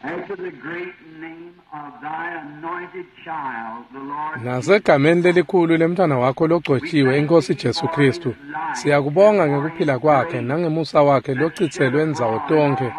And to the great name of thy anointed child, the Lord Nasegameni lelikhulu lemntwana wakho logcotshiwe inkosi Jesu Kristu, siyakubonga ngekuphila kwakhe nangemusa wakhe lochitselwe ndzawo tonkhe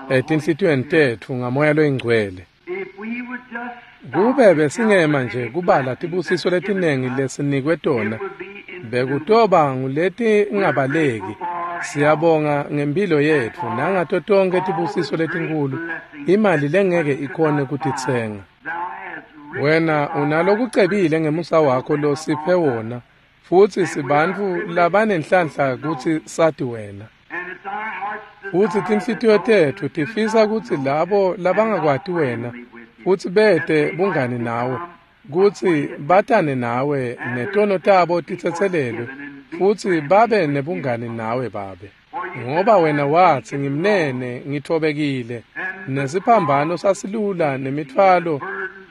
etinhlitiyweni tetfu ngamoya loyingcwele. If we would just stop Kube and besingema count the nje many kubala blessings tibusiso that's given letinengi us, lesinikwe tona, it would be innumerable. bekutoba nguletingabaleki. Siyabonga ngempilo yetfu nangato tonkhe tibusiso letinkulu, imali lengeke ikhone kutitsenga. Thou hast richly Wena unalokucebile ngemusa wakho losiphe wona, futsi sibantfu labanenhlanhla kutsi sati wena. And it's our heart's Futsi desire tinhlitiyo that those tetfu who do tifisa not kutsi know labo and not labangakwati wena friendly with you, futsi that bete they might bungani nawe, become kutsi acquainted with batane nawe and their netono tabo sins be titsetselelwe, forgiven and be futsi friendly babe with you. nebungani nawe Babe. For you said, Ngoba I wena am watsi meek and low, ngimnene ngithobekile, and the nesiphambano cross sasilula easy and the nemithwalo burdens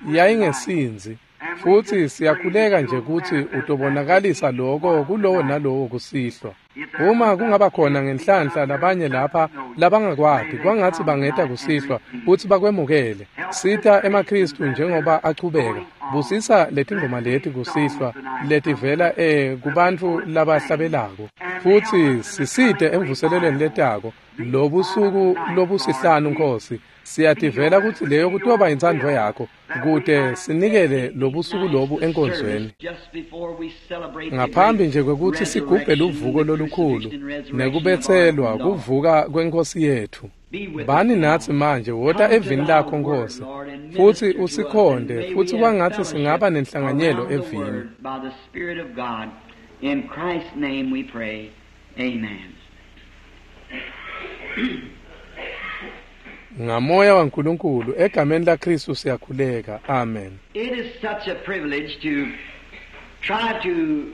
were light. yayingesinzi. And we Futsi just pray that siyakhuleka nje you'll kutsi manifest that to utobonakalisa each loko one kulowo tonight. nalowo kusihlwa. If there Uma be kungaba khona some ngenhlanhla out there labanye that lapha doesn't know you, may labangakwati, they kwangatsi come bangeta tonight and kusihlwa receive futsi you. bakwemukele. Help the Sita Christians emaKhristu as they're njengoba achubeka. going on. Busisa letingoma Bless leti these kusihlwa songs tonight from letivela the kubantfu people that sing. labahlabelako. And help Futsi us in the sisite coming emvuselelweni revival. letako These lobusuku five nights, Lord, lobusihlanu we Nkosi. feel Siyativela that it kutsi would leyo be your kutoba intsandvo will yakho that we kute might sinikele dedicate these lobusuku nights lobu to enkonzweni. Service just before we celebrate the Ngaphambi great nje kwekutsi sigubhe resurrection, luvuko the lolukhulu crucifixion and resurrection of our nekubetselwa Lord. kuvuka kwenkosi yethu. Be with us Bani now. natsi manje wota Come to evini thy lakho word, Nkosi, Lord, and futsi minister to us, and usikhonde may futsi we have kwangatsi fellowship singaba nenhlanganyelo around the evini. word by the Spirit of God. In Christ's name we pray. Amen. Ngamoya waNkulunkulu egameni laKristu siyakhuleka. Amen. It is such a privilege to try to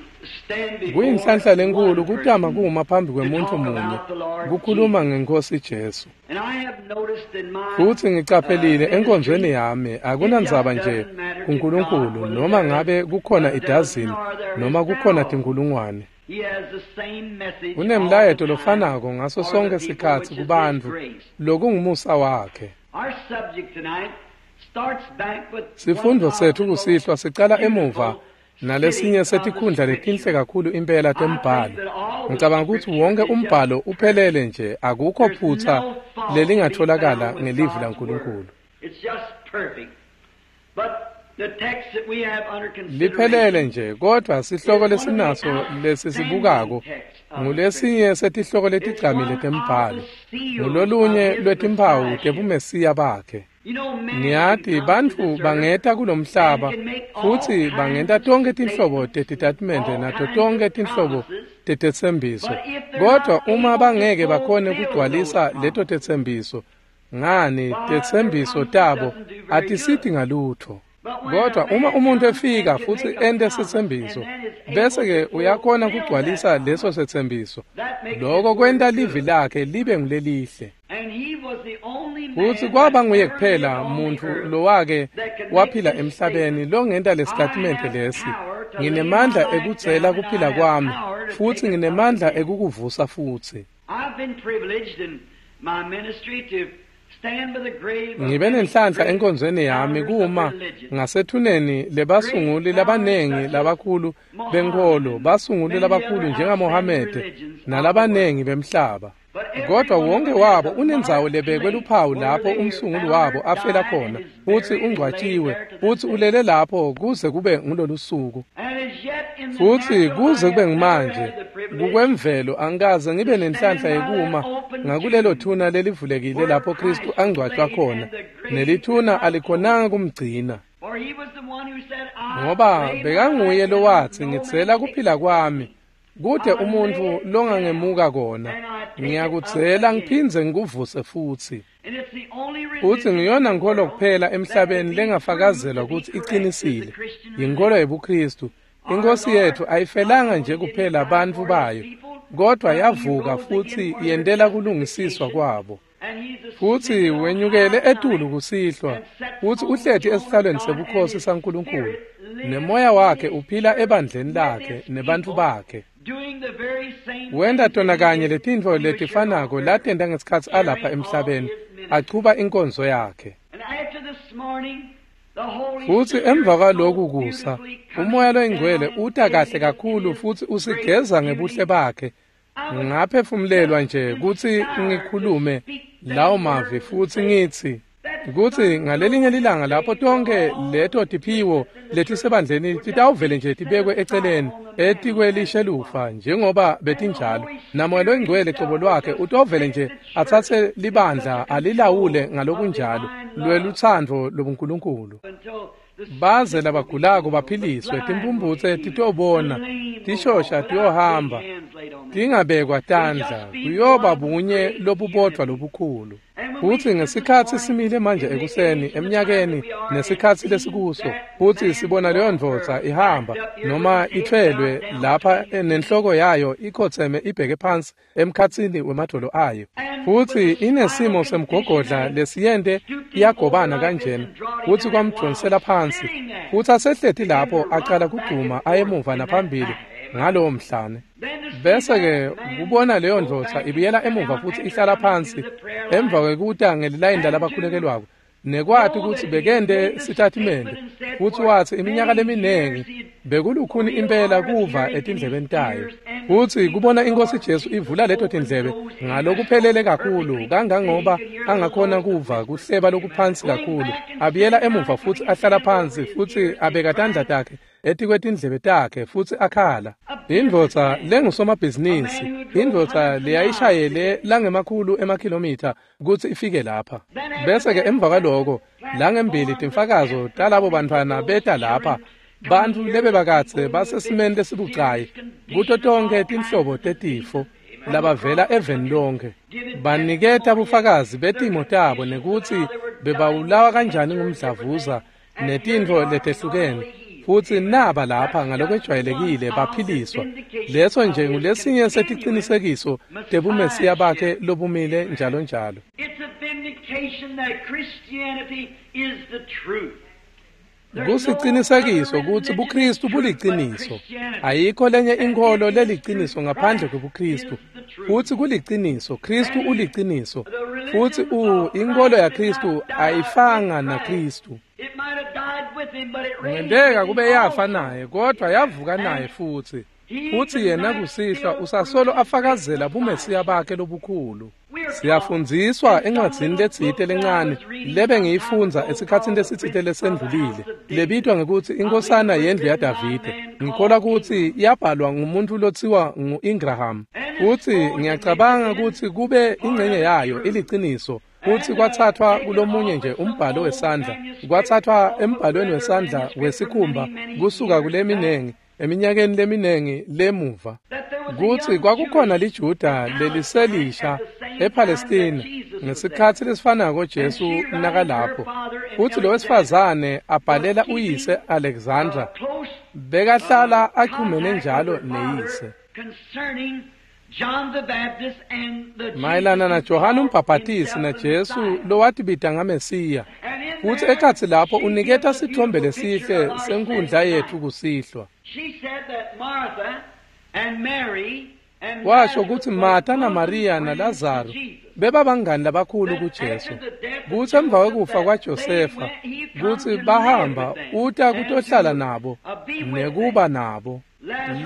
stand before Kuyinhlanhla lenkulu one kutama person kuma phambi to kwemuntfu talk munye about the Lord kukhuluma Jesus. ngenkosi Jesu. And I have noticed in my Futsi ngicaphelile enkonzweni ministry, yami it just akunandzaba nje doesn't matter to God kuNkulunkulu whether noma there is ngabe kukhona a dozen idazini or there is noma kukhona 1,000. tinkulungwane. He has the same message all the Unemlayeto time lofanako ngaso for the sonke people, sikhatsi which is His kubantfu grace. lokungumusa wakhe. Our subject tonight starts back with one Sifundvo of setfu the most kusihlwa sicala emuva beautiful nalesinye cities of the setikhundla letinhle Scripture. kakhulu impela I think tembhalo. that all the Ngicabanga kutsi Scripture wonke is just umbhalo perfect. uphelele nje akukho There's phutsa no fault to be lelingatholakala found with ngelivi God's laNkulunkulu. Word. It's just perfect. But the text that we have under Liphelele consideration nje kodwa sihloko is one of the lesinaso outstanding lesisibukako texts of the Scripture. ngulesinye setihloko It's letigcamile one of tembhalo. the seals of Ngulolunye his lwetimphawu messiahship. tebumesiya bakhe. You know, man can Niyati come to bantfu this earth bangeta and kulomhlaba can make all futsi kinds bangenta of tonkhe tinhlobo statements, tetitatimende all nato kinds tonkhe of tinhlobo promises, tetetsembiso. but if they're Kodwa not uma able to bangeke bakhone fulfill those kugcwalisa leto promises, tetsembiso, ngani why, their tetsembiso promises tabo doesn't do very atisiti good. ngalutho. But when a Kodwa uma man umuntu comes and efika can futsi make a ente promise and setsembiso, then is able bese to ke uyakhona fulfill that kugcwalisa leso promise, setsembiso. that makes his Loko kwenta word livi good. lakhe libe ngulelihle. And he was the only Futsi man kwaba that nguye ever lived kuphela on the muntfu earth lowake that could make waphila this emhlabeni statement, longenta I lesitatimende have lesi. power to lay my Nginemandla life ekudzela down and I kuphila have kwami power to futsi take it up nginemandla again. ekukuvusa futsi. I've been privileged in my ministry to stand by the grave of Ngibe many nenhlanhla great enkonzweni yami founders of kuma religion, ngasethuneni great lebasunguli founders labanengi such as labakhulu Mohammed benkholo, and basunguli many labakhulu other outstanding njengaMohamede religions of the world. nalabanengi bemhlaba. But every Kodwa one of wonke them has wabo a unendzawo marked lebekwe place luphawu where lapho their umsunguli wabo founder afela died and khona is futsi buried and laid ungcwatshiwe there to this futsi day. ulele lapho kuze kube ngulolu suku. And as yet in the Futsi natural, kuze I kube have never ngumanje had the privilege kukwemvelo angikaze ngibe to nenhlanhla stand by that yekuma open ngakulelo tomb thuna lelivulekile where lapho Kristu Christ was angcwatshwa laid khona and the grave did nelithuna not close. alikhonanga kumgcina. For he was the one who said, I Ngoba lay my bekanguye life down, lowatsi no man ngitsela takes kuphila it from kwami me. kute I lay umuntfu it down longangemuka kona and I take it up ngiyakudzela again. ngiphindze ngikuvuse futsi. And it's the only Futsi religion in ngiyona the nkholo world kuphela that could emhlabeni be proved lengafakazelwa to be kutsi correct is the icinisile Christian yinkholo religion. yebuKristu. Our Inkosi Lord yethu not ayifelanga only nje did he kuphela die bantfu for his bayo people, kodwa but he yavuka rose again futsi for their yentela kulungisiswa justification. kwabo. And he's Futsi ascended on wenyukele high etulu tonight kusihlwa and sits futsi on the uhleti throne of esihlalweni God, and sebukhosi his saNkulunkulu spirit lives nemoya in wakhe his uphila church ebandleni with lakhe his nebantfu people, bakhe. doing the very same Wenta things tona that he kanye did letintfo when he was here on letifanako earth, latenta ngesikhatsi alapha carrying all emhlabeni his achuba inkonzo yakhe. Futsi emva kwaloku kusa, uMoya loyiNgcwele uta kahle kakhulu futsi usigeza ngebuhle bakhe. Ngaphefumulelwa nje kutsi ngikhulume lawo mavi futsi ngitsi kutsi ngalelinye lilanga lapho tonke leto tiphiwo letisebandleni titawuvele nje tibekwe eceleni etikwelishelufa njengoba betinjalo, naMoya loyiNgcwele cobo lwakhe utovele nje atsatse libandla alilawule ngalokunjalo lwelutsandvo lobuNkulunkulu, baze labagulako baphiliswe, timphumphutse titobona, tishosha tiyohamba, tingabekwa tandla, kuyoba bunye lobubodvwa lobukhulu. Futsi ngesikhatsi simile manje ekuseni eminyakeni nesikhatsi lesikuso, futsi sibona leyo ndvodza ihamba noma ithwelwe lapha nenhloko yayo ikhotseme ibheke phansi emkhatsini wemadvolo ayo, futsi inesimo semgogodla lesiyente iyagobana kanjena, futsi kwamdvonsela phansi, futsi asehleti lapho acala kugcuma ayemuva naphambili ngalowo mhlane. Bese-ke kubona leyo ndvodza ibuyela emuva futsi ihlala phansi emva kwekuta ngelilayini lalabakhulekelwako, nekwati kutsi bekente sitatimende, futsi watsi iminyaka leminingi bekulukhuni impela kuva etindlebeni tayo, futsi kubona iNkosi Jesu ivula leto tindlebe ngalokuphelele kakhulu kangangoba angakhona kuva kuhleba lokuphansi kakhulu, abuyela emuva futsi ahlala phansi futsi abeka tandla takhe etikwetindlebe takhe futsi akhala. Indvodza lengusomabhizinisi, indvodza leyayishayele langemakhulu emakhilomitha kutsi ifike lapha. Bese-ke emva kwaloko langembili timfakazo talabo bantfwana beta lapha, bantfu lebebakadze basesimeni lesibucayi kuto tonkhe tinhlobo tetifo labavela eveni lonke, baniketa bufakazi betimo tabo nekutsi bebawulawa kanjani ngumdlavuza netintfo letehlukene, futsi naba lapha ngalokwejwayelekile baphiliswa. Leso nje ngulesinye seticinisekiso tebumesiya bakhe lobumile njalo njalo. Kusicinisekiso kutsi buKristu buliciniso. Ayikho lenye inkholo leliciniso ngaphandle kwebuKristu. Futsi kuliciniso, Kristu uliciniso. Futsi inkholo yaKristu ayifanga naKristu. Kungenteka kube yafa naye, kodvwa yavuka naye futsi. Futsi yena kusihlwa usasolo afakazela bumesiya bakhe lobukhulu. Siyafundziswa encwadzini letsite lencane lebe ngiyifundza esikhatsini lesitsite lesendlulile, lebitwa ngekutsi Inkosana Yendlu yaDavide. Ngikholwa kutsi yabhalwa ngumuntu lotsiwa ngu-Ingraham, futsi ngiyacabanga kutsi kube ingcenye yayo iliciniso, futsi kwatsathwa kulomunye nje umbhalo wesandla, kwatsathwa embhalweni wesandla wesikhumba kusuka kuleminengi eminyakeni leminengi lemuva, kutsi kwakukhona liJuda leliselisha ePalestina ngesikhatsi lesifanako Jesu nakalapho, futsi lo wesifazane abhalela uyise Alexandra, bekahlala achumene njalo neyise mayelana naJohane uMbhabhatisi naJesu lowatibita ngaMesiya. Futsi ekhatsi lapho uniketa sitfombe lesihle senkhundla yetfu kusihlwa. Washo kutsi Martha naMariya naLazaro bebabangani labakhulu kuJesu, kutsi emva kwekufa kwaJosefa kutsi bahamba uta kutohlala nabo nekuba nabo.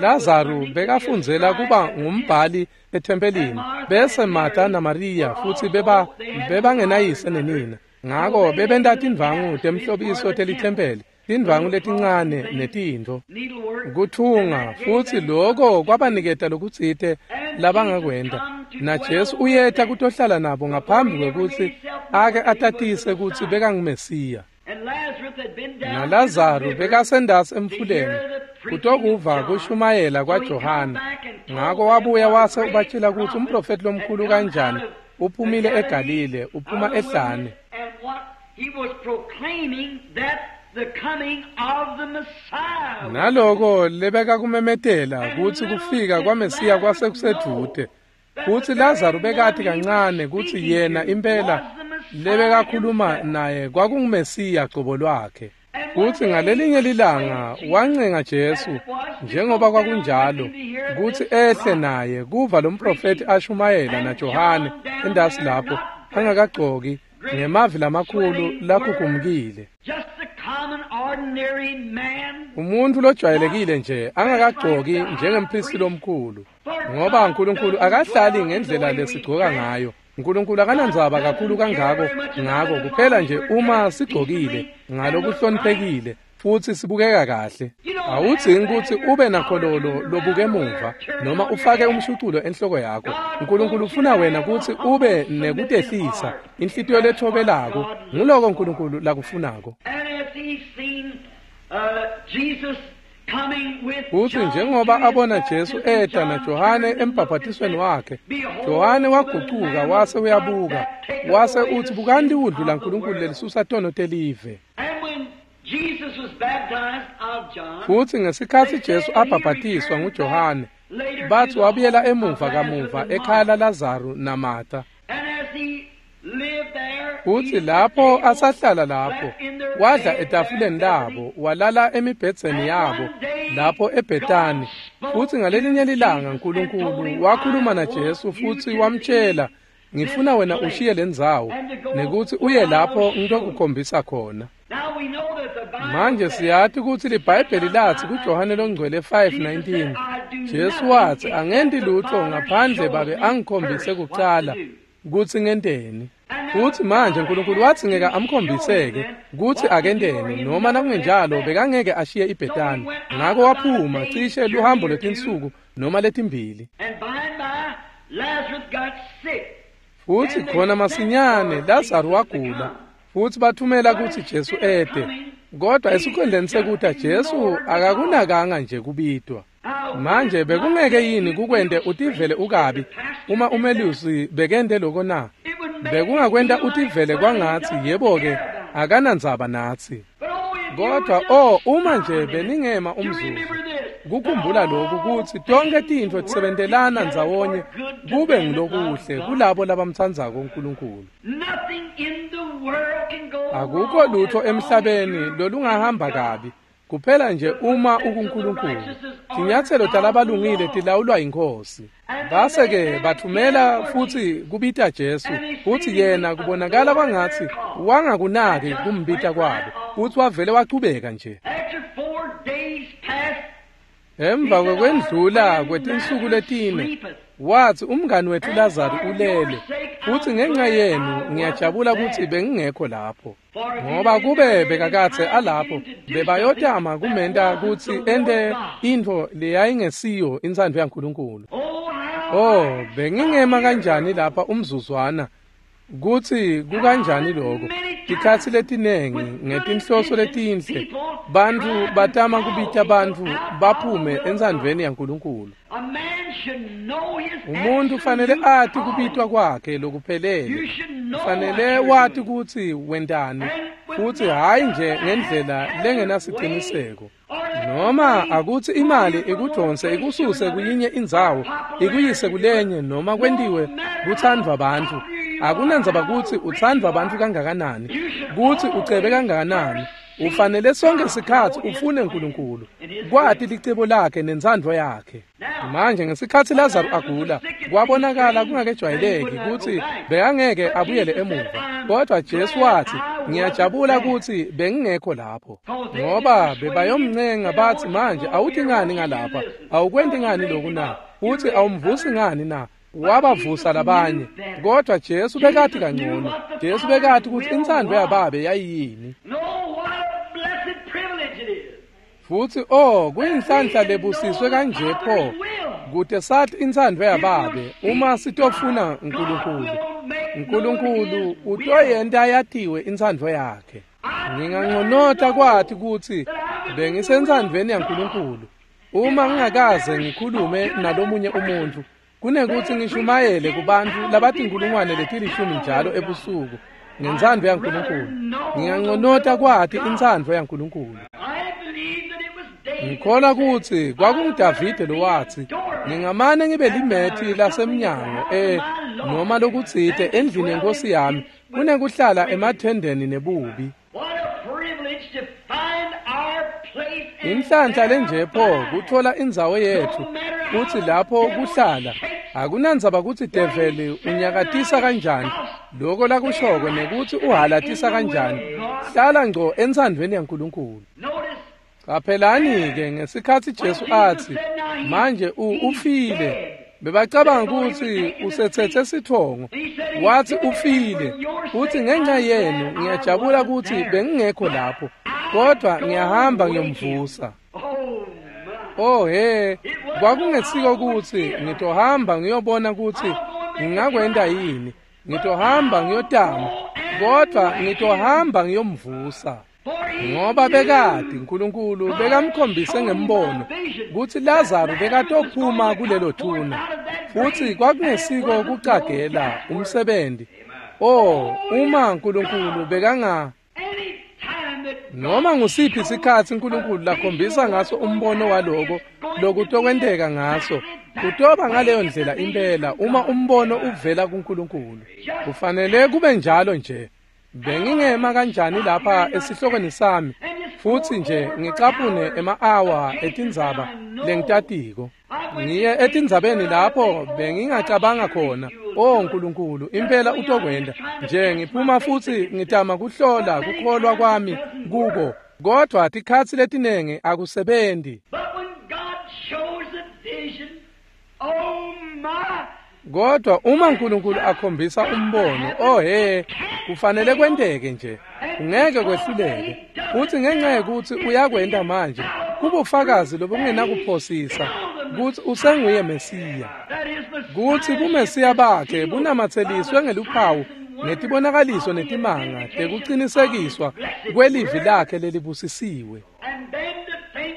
Lazaro bekafundzela kuba ngumbhali ethempelini, bese Martha naMariya futsi bebangenayise nenina, ngako bebenta tindvangu temhlobiso telithempeli, tindvangu letincane netintfo kuthunga, futsi loko kwabaniketa lokutsite labangakwenta. NaJesu uyeta kutohlala nabo ngaphambi kwekutsi ake atatise kutsi bekanguMesiya. NaLazaro bekasendasi emfuleni kutokuva kushumayela kwaJohane, ngako wabuya wase ubatshela kutsi umprofeti lomkhulu kanjani uphumile eGalile, uphuma ehlane. Naloko lebekakumemetela kutsi kufika kwaMesiya kwasekusedvute, futsi Lazaro bekati kancane kutsi yena impela lebekakhuluma naye kwakunguMesiya cobo lwakhe. Futsi ngalelinye lilanga wancenga Jesu, njengoba kwakunjalo, kutsi ehle naye kuva lo mprofeti ashumayela naJohane endasi lapho angakagcoki, Ngemavi lamakhulu lakhukhumkile. Umuntu lojwayelekile nje angakagcoki njengemphristi lomkhulu, ngoba uNkulunkulu akahlali ngendlela lesigcoka ngayo. uNkulunkulu akanandzaba kakhulu kangako ngako, kuphela nje uma sigcokile ngalokuhloniphekile futhi sibukeka kahle. Awudzingi kutsi ube nakhololo lobuke emuva noma ufake umshuculo enhloko yakho. uNkulunkulu ufuna wena kutsi ube nekutehlisa, inhlitiyo lethobelako. Nguloko uNkulunkulu lakufunako. Futsi njengoba abona Jesu eta naJohane embhabhatisweni wakhe, Johane wagucuka wase uyabuka, wase utsi, "Bukani liwundlu laNkulunkulu lelisusa tono telive." Futsi ngesikhatsi Jesu abhabhatiswa nguJohane, bathi wabuyela emuva kamuva ekhaya laLazaru naMartha. Futsi lapho asahlala lapho, wadla etafuleni labo, walala emibhedzeni yabo lapho eBhetani. Futsi ngalelinye lilanga uNkulunkulu wakhuluma naJesu futsi wamtshela, "Ngifuna wena ushiye lendzawo nekutsi uye lapho ngitokukhombisa khona." Manje siyati kutsi liBhayibheli latsi kuJohane longcwele 5:19, Jesu watsi, "Angenti lutho ngaphandle Babe angikhombise kucala kutsi ngenteni." Futsi manje uNkulunkulu wadzingeka amkhombiseke kutsi akenteni, noma nakungenjalo bekangeke ashiye iBhetani. Ngako waphuma cishe luhambo lwetinsuku noma letimbili. Futsi khona masinyane Lazaru wagula, futsi bathumela kutsi Jesu ete. Kodwa esikhundleni sekuta Jesu akakunakanga nje kubitwa. Manje bekungeke yini kukwente utivele ukabi uma umelusi bekente loko na? Bekungakwenta utivele kwangatsi yebo-ke akanandzaba natsi. Kodwa uma nje beningema umzuzu kukhumbula lokhu kutsi tonke tintfo tisebentelana ndzawonye kube ngulokuhle kulabo labamtsandzako uNkulunkulu. Akukho lutho emhlabeni lolungahamba kabi, kuphela nje uma ukuNkulunkulu. Tinyatselo talabalungile tilawulwa yiNkhosi. Base-ke bathumela futsi kubita Jesu, futsi yena kubonakala kwangatsi wangakunaki kumbita kwabo, futsi wavele wachubeka nje. Emva kwekwendlula kwetinsuku letine, watsi, "Umngani wethu Lazaru ulele, futsi ngenxa yenu ngiyajabula kutsi bengingekho lapho." Ngoba kube bekakadze alapho, bebayotama kumenta kutsi ente intfo leyayingesiyo intsandvo yaNkulunkulu. Oh, bengingema kanjani lapha umzuzwana kutsi kukanjani lokho. Tikhatsi letinengi ngetinhloso letinhle bantfu batama kubita bantfu baphume entsandvweni yaNkulunkulu. Umuntu kufanele ati kubitwa kwakhe lokuphelele, kufanele wati kutsi wentani, futsi hhayi nje ngendlela lengenasiciniseko. Noma akutsi imali ikudonse ikususe kuyinye indzawo ikuyise kulenye, noma kwentiwe kutsandvwa bantfu. Akunandzaba kutsi utsandvwa bantfu kangakanani, kutsi ucebe kangakanani, ufanele sonke sikhatsi ufune uNkulunkulu, kwati licebo lakhe nentsandvo yakhe. Manje ngesikhatsi Lazaru agula, kwabonakala kungakejwayeleki kutsi bekangeke abuyele emuva. Kodwa Jesu watsi, "Ngiyajabula kutsi bengingekho lapho." Ngoba bebayomncenga batsi, "Manje awuthi ngani ngalapha? Awukwenti ngani loku na? Futsi awumvusi ngani na?" Wabavusa labanye. Kodwa Jesu bekati kangcono. Jesu bekati kutsi intsandvo yaBabe yayiyini. Futsi kuyinhlanhla lebusiswe kanje pho kute sathi intsandvo yaBabe uma sitofuna uNkulunkulu. uNkulunkulu utoyenta yatiwe intsandvo yakhe. Nginganconota kwati kutsi bengisentsandvweni yaNkulunkulu uma ngingakaze ngikhulume nalomunye umuntfu, kunekutsi ngishumayele kubantfu labatinkulungwane letilishumi njalo ebusuku ngentsandvo yaNkulunkulu. Nginganconota kwati intsandvo yaNkulunkulu. Ngikholwa kutsi kwakunguDavide lowatsi, "Ngingamane ngibe limethi lasemnyango noma lokutsite endlini yenkosi yami kunekuhlala emathendeni nebubi." Inhlanhla lenje pho kuthola indzawo yetfu kutsi lapho kuhlala. Akunandzaba kutsi develi unyakatisa kanjani, Lokho lakushoko nekuthi uhalatisa kanjani, hlala ngco entsandvweni yaNkulunkulu. Qaphelani-ke ngesikhatsi Jesu atsi, manje ufile. Bebacabanga kutsi usetsetse sitfongo. Watsi ufile. Utsi ngenxa yenu ngiyajabula kutsi bengingekho lapho, kodwa ngiyahamba ngiyomvusa. Oh he, kwakungesiko kutsi ngitohamba ngiyobona kutsi ngingakwenta yini. Ngitohamba ngiyotama, kodwa ngitohamba ngiyomvusa. Ngoba bekati uNkulunkulu bekamkhombise ngembono kutsi Lazaro bekatophuma kulelo thuna, futsi kwakungesiko kucagela umsebenzi. Oh, uma uNkulunkulu bekanga noma ngusiphi isikhatsi uNkulunkulu lakhombisa ngaso umbono waloko lokutokwenteka ngaso, kutoba ngaleyo ndlela impela uma umbono uvela kuNkulunkulu. Kufanele kube njalo nje. Bengingema kanjani lapha esihlokweni sami futsi nje ngicaphune ema-awa etindzaba lengitatiko. Ngiye etindzabeni lapho bengingacabanga khona, oh Nkulunkulu, impela utokwenta. Nje ngiphuma futsi ngitama kuhlola kukholwa kwami kuko, kodwa tikhatsi letinengi akusebenzi. Kodwa uma uNkulunkulu akhombisa umbono, oh he, kufanele kwenteke nje, ungeke kwehluleke. Futsi ngenxa yekutsi uyakwenta manje, kubufakazi lobungenakuphosisa kutsi usenguye Mesiya, kutsi buMesiya bakhe bunamatseliswe ngeluphawu netibonakaliso netimanga tekucinisekiswa kwelivi lakhe lelibusisiwe.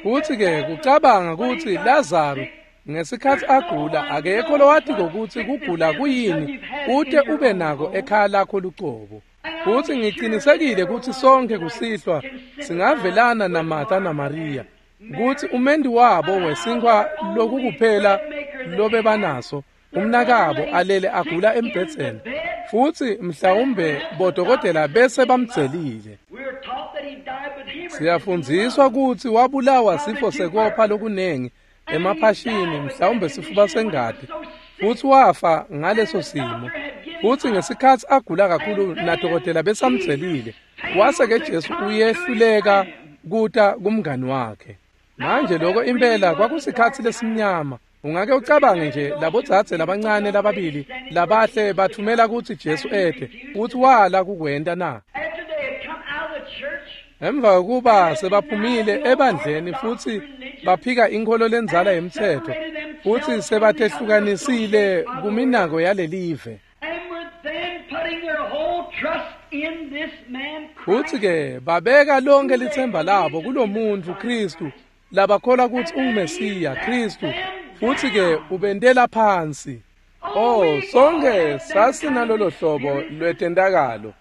Futsi-ke kucabanga kutsi Lazaro ngesikhatsi agula akekho lowatiko kutsi kugula kuyini ute ube nako ekhaya lakho lucobo. Futsi ngicinisekile kutsi sonke kusihlwa singavelana naMartha naMaria kutsi umendi wabo wesinkhwa lokukuphela lobebanaso umnakabo alele agula embhedzeni, futsi mhlawumbe bodokotela bese bamdzelile. Siyafundziswa kutsi wabulawa sifo sekopha lokunengi emaphashini, mhlawumbe sifuba sengati, futsi wafa ngaleso simo. Futsi ngesikhatsi agula kakhulu nadokotela besamdzelile, wase-ke Jesu uyehluleka kuta kumngani wakhe. Manje lokho impela kwakusikhatsi lesimnyama. Ungake ucabange nje labodzadze labancane lababili labahle bathumela kutsi Jesu ete, futsi wala kukwenta na? Emva kokuba sebaphumile ebandleni futsi baphika inkholo lendzala yemtsetfo, futsi sebatehlukanisile kuminako yalelive. Futsi-ke babeka lonke litsemba labo kulomuntfu Khristu labakholwa kutsi unguMesiya Khristu, futsi-ke ubentela phansi. Oh, sonke sasinalolo hlobo lwetentakalo.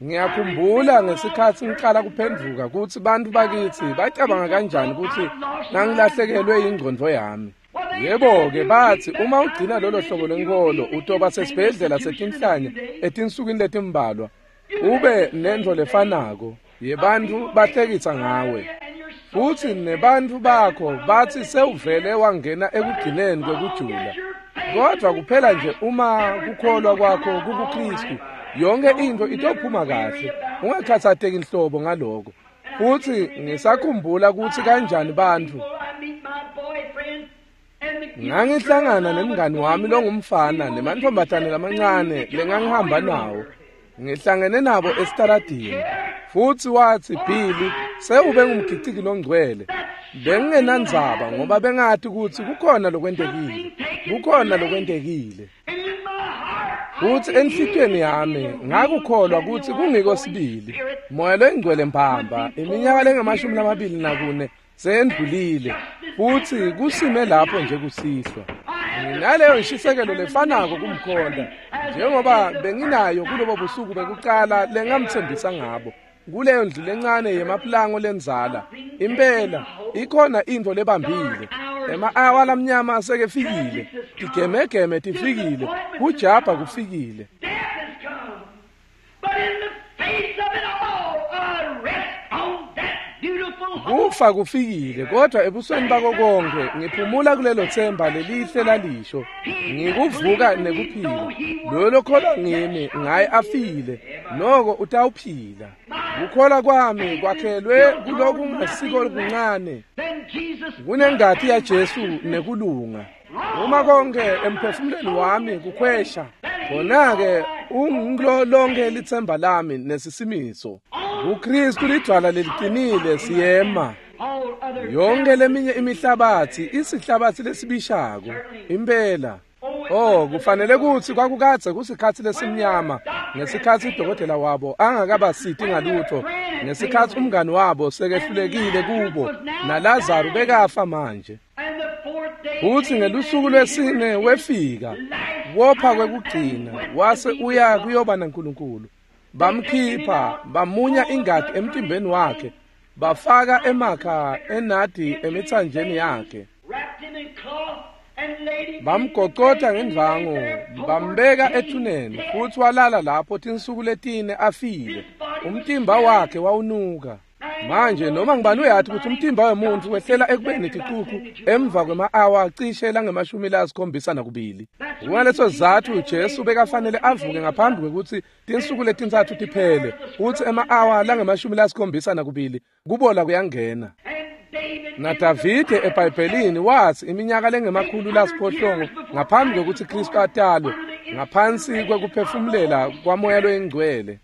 Ngiyakhumbula ngesikhatsi ngiqala kuphendvuka kutsi bantfu bakitsi bacabanga kanjani kutsi ngangilahlekelwe yingcondvo yami. Yebo-ke batsi uma ugcina lolo hlobo lwenkholo utoba sesibhedlela setinhlanya etinsukwini letimbalwa, ube nentfo lefanako yebantfu bahlekisa ngawe. Futsi nebantfu bakho batsi sewuvele wangena ekugcineni kwekujula. Kodwa kuphela nje uma kukholwa kwakho kukuKhristu, yonke intfo itophuma kahle. Ungakhatsateki nhlobo ngaloko. Futsi ngisakhumbula kutsi kanjani bantfu ngangihlangana nemngani wami longumfana nemantfombatane lamancane lengangihamba nawo. Ngihlangene nabo esitaradini. Futsi watsi, Billy, sewube ngumgiciki longcwele. Bengingenandzaba ngoba bengati kutsi kukhona lokwentekile. Kukhona lokwentekile. Futsi enhlitiyweni yami ngakukholwa kutsi kungiko sibili. Moya loyingcwele mbamba iminyaka lengamashumi 24 seyendlulile, futsi kusime lapho nje kusihlwa. Nginaleyo nshisekelo lefanako kumkhonta njengoba benginayo kulobo busuku bekuqala lengamtsembisa ngabo kuleyo ndlu lencane yemapulango lendzala. Impela ikhona intfo lebambile. Ema-awa lamnyama asekefikile, tigemegeme tifikile, kujabha kufikile. Kufa kufikile, kodwa ebusweni bako konke ngiphumula kulelo themba lelihle lalisho, ngikuvuka nekuphila. Loyo lokholwa ngimi ngaye afile, noko utawuphila. Kukholwa kwami kwakhelwe kulokungasiko kuncane, kunengati yaJesu nekulunga. Uma konke emphefumulweni wami kukhwesha, khona-ke ungulo lonke lithemba lami nesisimiso. KuKristu lidwala leliqinile siyema. Yonke leminye imihlabathi isihlabathi lesibishako impela. Oh, kufanele kutsi kwakukadze kusikhatsi lesimnyama ngesikhatsi udokotela wabo angakabasiti ngalutho, ngesikhatsi umngani wabo sekehlulekile kubo, naLazaru bekafa manje. Futsi ngelusuku lwesine wefika, wopha kwekugcina, wase uya kuyoba naNkulunkulu. Bamkhipha, bamunya ingati emtimbeni wakhe, bafaka emakha enadi emitsanjeni yakhe. Bamgocotha ngendvangu, bambeka ethuneni, futsi walala lapho tinsuku letine afile. Umtimba wakhe wawunuka. Manje noma ngibani uyathi ukuthi umtimba wemuntu wehlela ekubeni ticucu emva kwema-awa cishe langama-72. Kungaleso sizatfu Jesu bekafanele avuke ngaphambi kwekutsi tinsuku letintsatfu tiphele, futsi ema-awa langama-72 kubola kuyangena. NaDavide eBhayibhelini watsi iminyaka lengama-800 ngaphambi kwekutsi Kristu atalwe, ngaphansi kwekuphefumulela kwaMoya loyiNgcwele,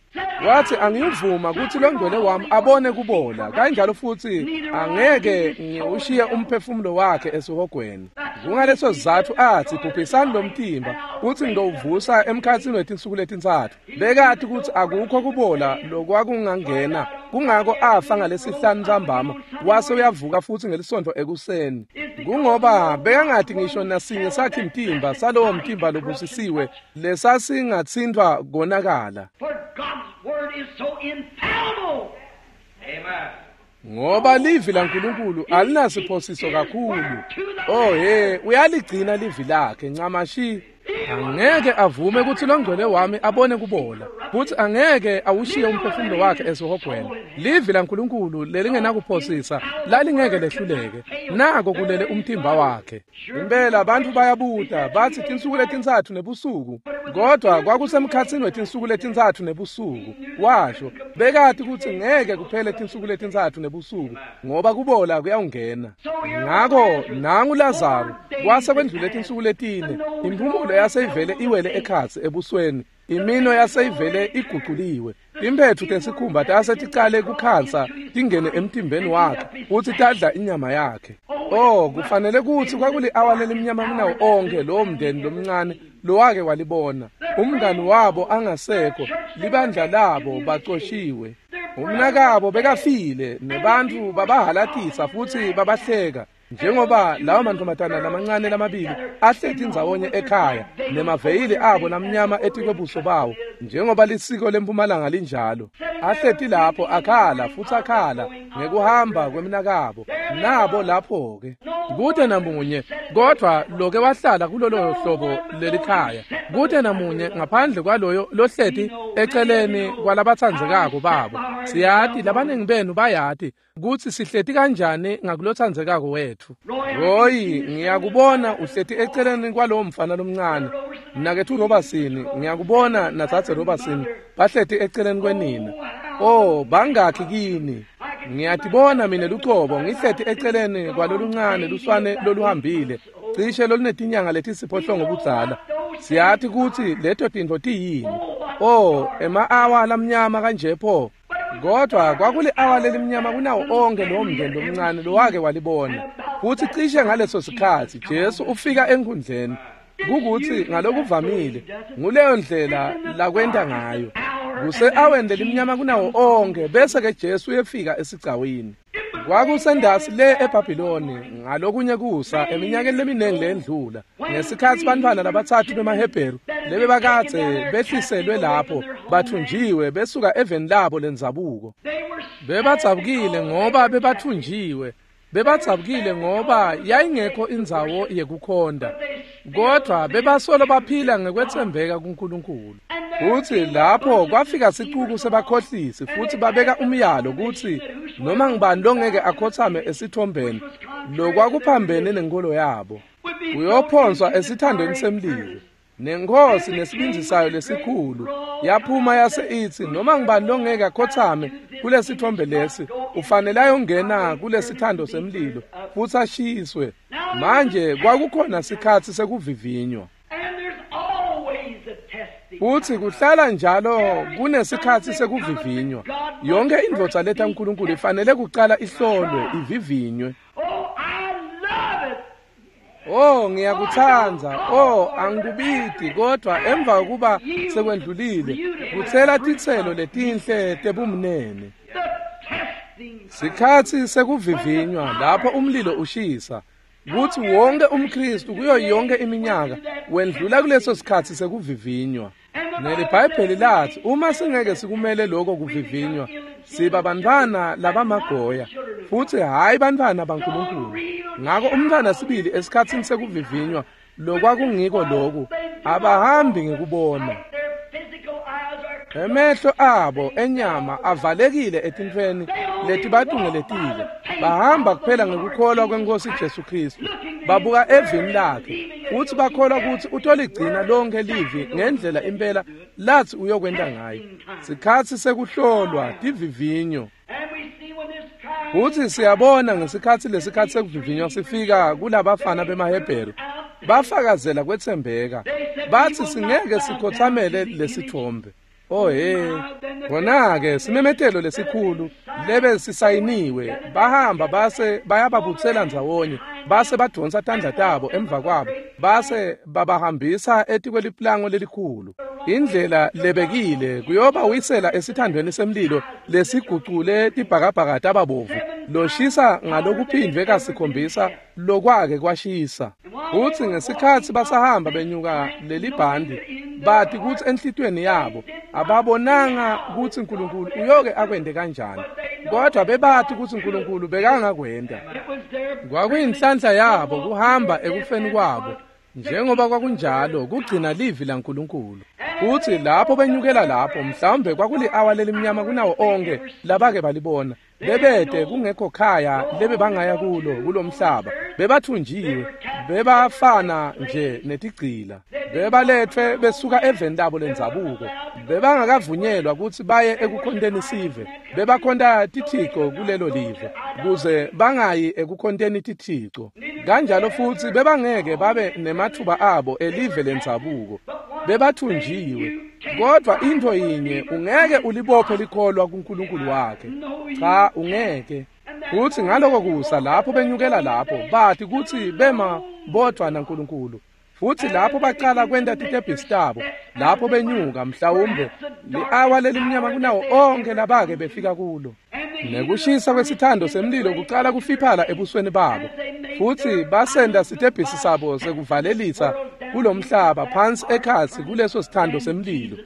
wathi angiyuvuma kutsi longcwele wami abone kubola, kanjalo futsi angeke ngiwushiye umphefumulo wakhe esihogweni. Kungaleso sizatfu atsi bhubhisani lo mtimba kutsi ngitowuvusa emkhatsini wetinsuku letintsatfu. Bekati kutsi akukho kubola lokwakungangena, kungako afa ngalesihlanu ntsambama, wase uyavuka futsi ngelisontfo ekuseni. Kungoba bekangati ngisho nasinye sakhe mtimba salowo mtimba lobusisiwe lesasingatsintfwa konakala. Ngoba livi laNkulunkulu alinasiphosiso kakhulu. Oh he, uyaligcina livi lakhe ncamashi. Angeke avume kutsi longcwele wami abone kubola, futsi angeke awushiye umphefumulo wakhe esihogweni. Livi laNkulunkulu lelingenakuphosisa lalingeke lehluleke. Nako kulele umtimba wakhe. Impela abantu bayabuta batsi tinsuku letintsatfu nebusuku, kodwa kwakusemkhatsini wetinsuku letintsatfu nebusuku. Washo bekati kutsi ngeke kuphele tinsuku letintsatfu nebusuku, ngoba kubola kuyawungena. Ngako nangu Lazaru kwase kwendlule tinsuku letine, imphumulo yaseyivele iwele ekhatsi ebusweni, imino yaseyivele iguculiwe, timphetfu tesikhumba tase ticale kukhansa tingene emtimbeni wakhe futsi tadla inyama yakhe. Oh, kufanele kutsi kwakuli-awa lelimnyama kunawo onkhe lowo mndeni lomncane lowake walibona. Umngani wabo angasekho, libandla labo bacoshiwe, umnakabo bekafile, nebantfu babahalatisa futsi babahleka. Njengoba lawo mantombazana lamancane lamabili ahleti ndzawonye ekhaya nemaveyili abo lamnyama etikwebuso bawo, njengoba lisiko lempumalanga linjalo, ahleti lapho akhala futsi akhala ngekuhamba kwemnakabo. Nabo lapho-ke kute namunye kodvwa loke wahlala kulolo hlobo lelikhaya, kute namunye ngaphandle kwaloyo lohleti eceleni kwalabatsandzekako babo. Siyati labaningi benu bayati kutsi sihleti kanjani ngakulotsandzekako wetfu. Roy, ngiyakubona uhleti eceleni kwalowo mfana lomncane. Mnaketfu Robertson, ngiyakubona natsatse Robertson bahleti eceleni kwenina. Oh, bangakhi kini? Ngiyatibona mina lucobo ngihleti eceleni kwaloluncane luswane loluhambile, cishe olunetinyanga letisiphohlongo budzala. Siyati kutsi leto tintfo tiyini. Oh, ema-awa lamnyama kanje pho. Kodwa kwakuli-awa lelimnyama kunawo onke lowo mndeni lomncane lowake walibona. Futsi cishe ngaleso sikhatsi Jesu ufika enkhundleni. Kukutsi ngalokuvamile nguleyo ndlela lakwenta ngayo. Kuse-aweni lelimnyama kunawo onke bese-ke Jesu uyefika esigcawini. Kwakusendasi le eBhabhiloni ngalokunye kusa eminyakeni leminingi lendlula, ngesikhatsi bantfwana labatsatfu bemaHebheru lebebakadze behliselwe lapho bathunjiwe besuka eveni labo lendzabuko. Bebadzabukile ngoba bebathunjiwe, bebadzabukile ngoba yayingekho indzawo yekukhonta, kodvwa bebasolo baphila ngekwetsembeka kuNkulunkulu. Futsi lapho kwafika sicuku sebakhohlisi futsi babeka umyalo kutsi Noma ngibani longeke akhothame esithombeni lokwakuphambene nenkolo yabo uyophonswa esithandweni semlilo. Nenkosi nesibinzi sayo lesikhulu yaphuma yase ithi noma ngibani longeke akhothame kulesithombe lesi ufanele ayongena kulesithando semlilo futhi ashiswe. Manje kwakukhona sikhathi sekuvivinywa, futhi kuhlala njalo kunesikhathi sekuvivinywa. Yonke indvodza letha uNkulunkulu ifanele kuqala ihlolwe, ivivinywe. Oh, ngiyakuthanda. Oh, angikubidi, kodwa emva kokuba sekwendlulile kuthela titselo letinhle tebumnene. Sikhathi sekuvivinywa lapho umlilo ushisa, kuthi wonke umKristu kuyo yonke iminyaka wendlula kuleso sikhathi sekuvivinywa. NeliBhayibheli lathi uma singeke sikumele lokho kuvivinywa siba bantwana labamagoya futhi hayi bantwana baNkulunkulu. Ngakho umntwana sibili esikhathini sekuvivinywa lokwakungiko lokhu abahambi ngekubona. Emehlo abo enyama avalekile etintfweni letibatungeletile. Bahamba kuphela ngekukholwa kwenkosi Jesu Kristu. Babuka evini lakhe futhi bakholwa ukuthi utoligcina lonke livi ngendlela impela lathi uyokwenta ngayo. Sikhathi sekuhlolwa tivivinyo. Futhi siyabona ngesikhathi lesikhathi sekuvivinywa sifika kulabafana bemaHebheru bafakazela kwethembeka, bathi singeke sikhothamele lesithombe. Oh hey, khona-ke simemetelo lesikhulu lebe sisayiniwe, bahamba base bayababutsela ndzawonye, base badonsa tandla tabo emva kwabo, base babahambisa etikweliplango lelikhulu. Indlela lebekile kuyobawisela esithandweni semlilo lesigucule tibhakabhaka tababovu loshisa ngalokuphindwe kasikhombisa lokwake kwashisa. Futhi ngesikhathi basahamba benyuka lelibhandi bathi kuthi enhlitweni yabo ababonanga ukuthi uNkulunkulu uyoke akwende kanjani, kodwa bebathi ukuthi uNkulunkulu bekangakwenda. Kwakuyinhlanhla yabo kuhamba ekufeni kwabo njengoba kwakunjalo kugcina livi laNkulunkulu. Futhi lapho benyukela lapho mhlawumbe kwakuli-awa lelimnyama kunawo onke labake balibona. Bebede kungekho khaya lebe bangaya kulo kulomhlaba, bebathunjiwe, bebafana nje netigcila, bebalethwe besuka eveni labo lendzabuko, bebangakavunyelwa ukuthi baye ekukhonteni sive, bebakhonta tithixo kulelo live kuze bangayi ekukhonteni tithixo. Kanjalo futhi bebangeke babe nemathuba abo elive lendzabuko, bebathunjiwe. Kodwa into yinye, ungeke ulibophe likholwa kuNkulunkulu wakhe. Cha, ungeke. Futhi ngaloko kusa lapho benyukela lapho bathi kuthi bema bodwa naNkulunkulu. Futhi lapho baqala kwenta titebhisi tabo, lapho benyuka mhlawumbe li-awa lelimnyama kunawo onke labake befika kulo. Nekushisa kwesithando semlilo kuqala kufiphala ebusweni babo. Futhi basenda sitebhisi sabo sekuvalelisa kulomhlaba phansi ekhatsi kuleso sithando semlilo.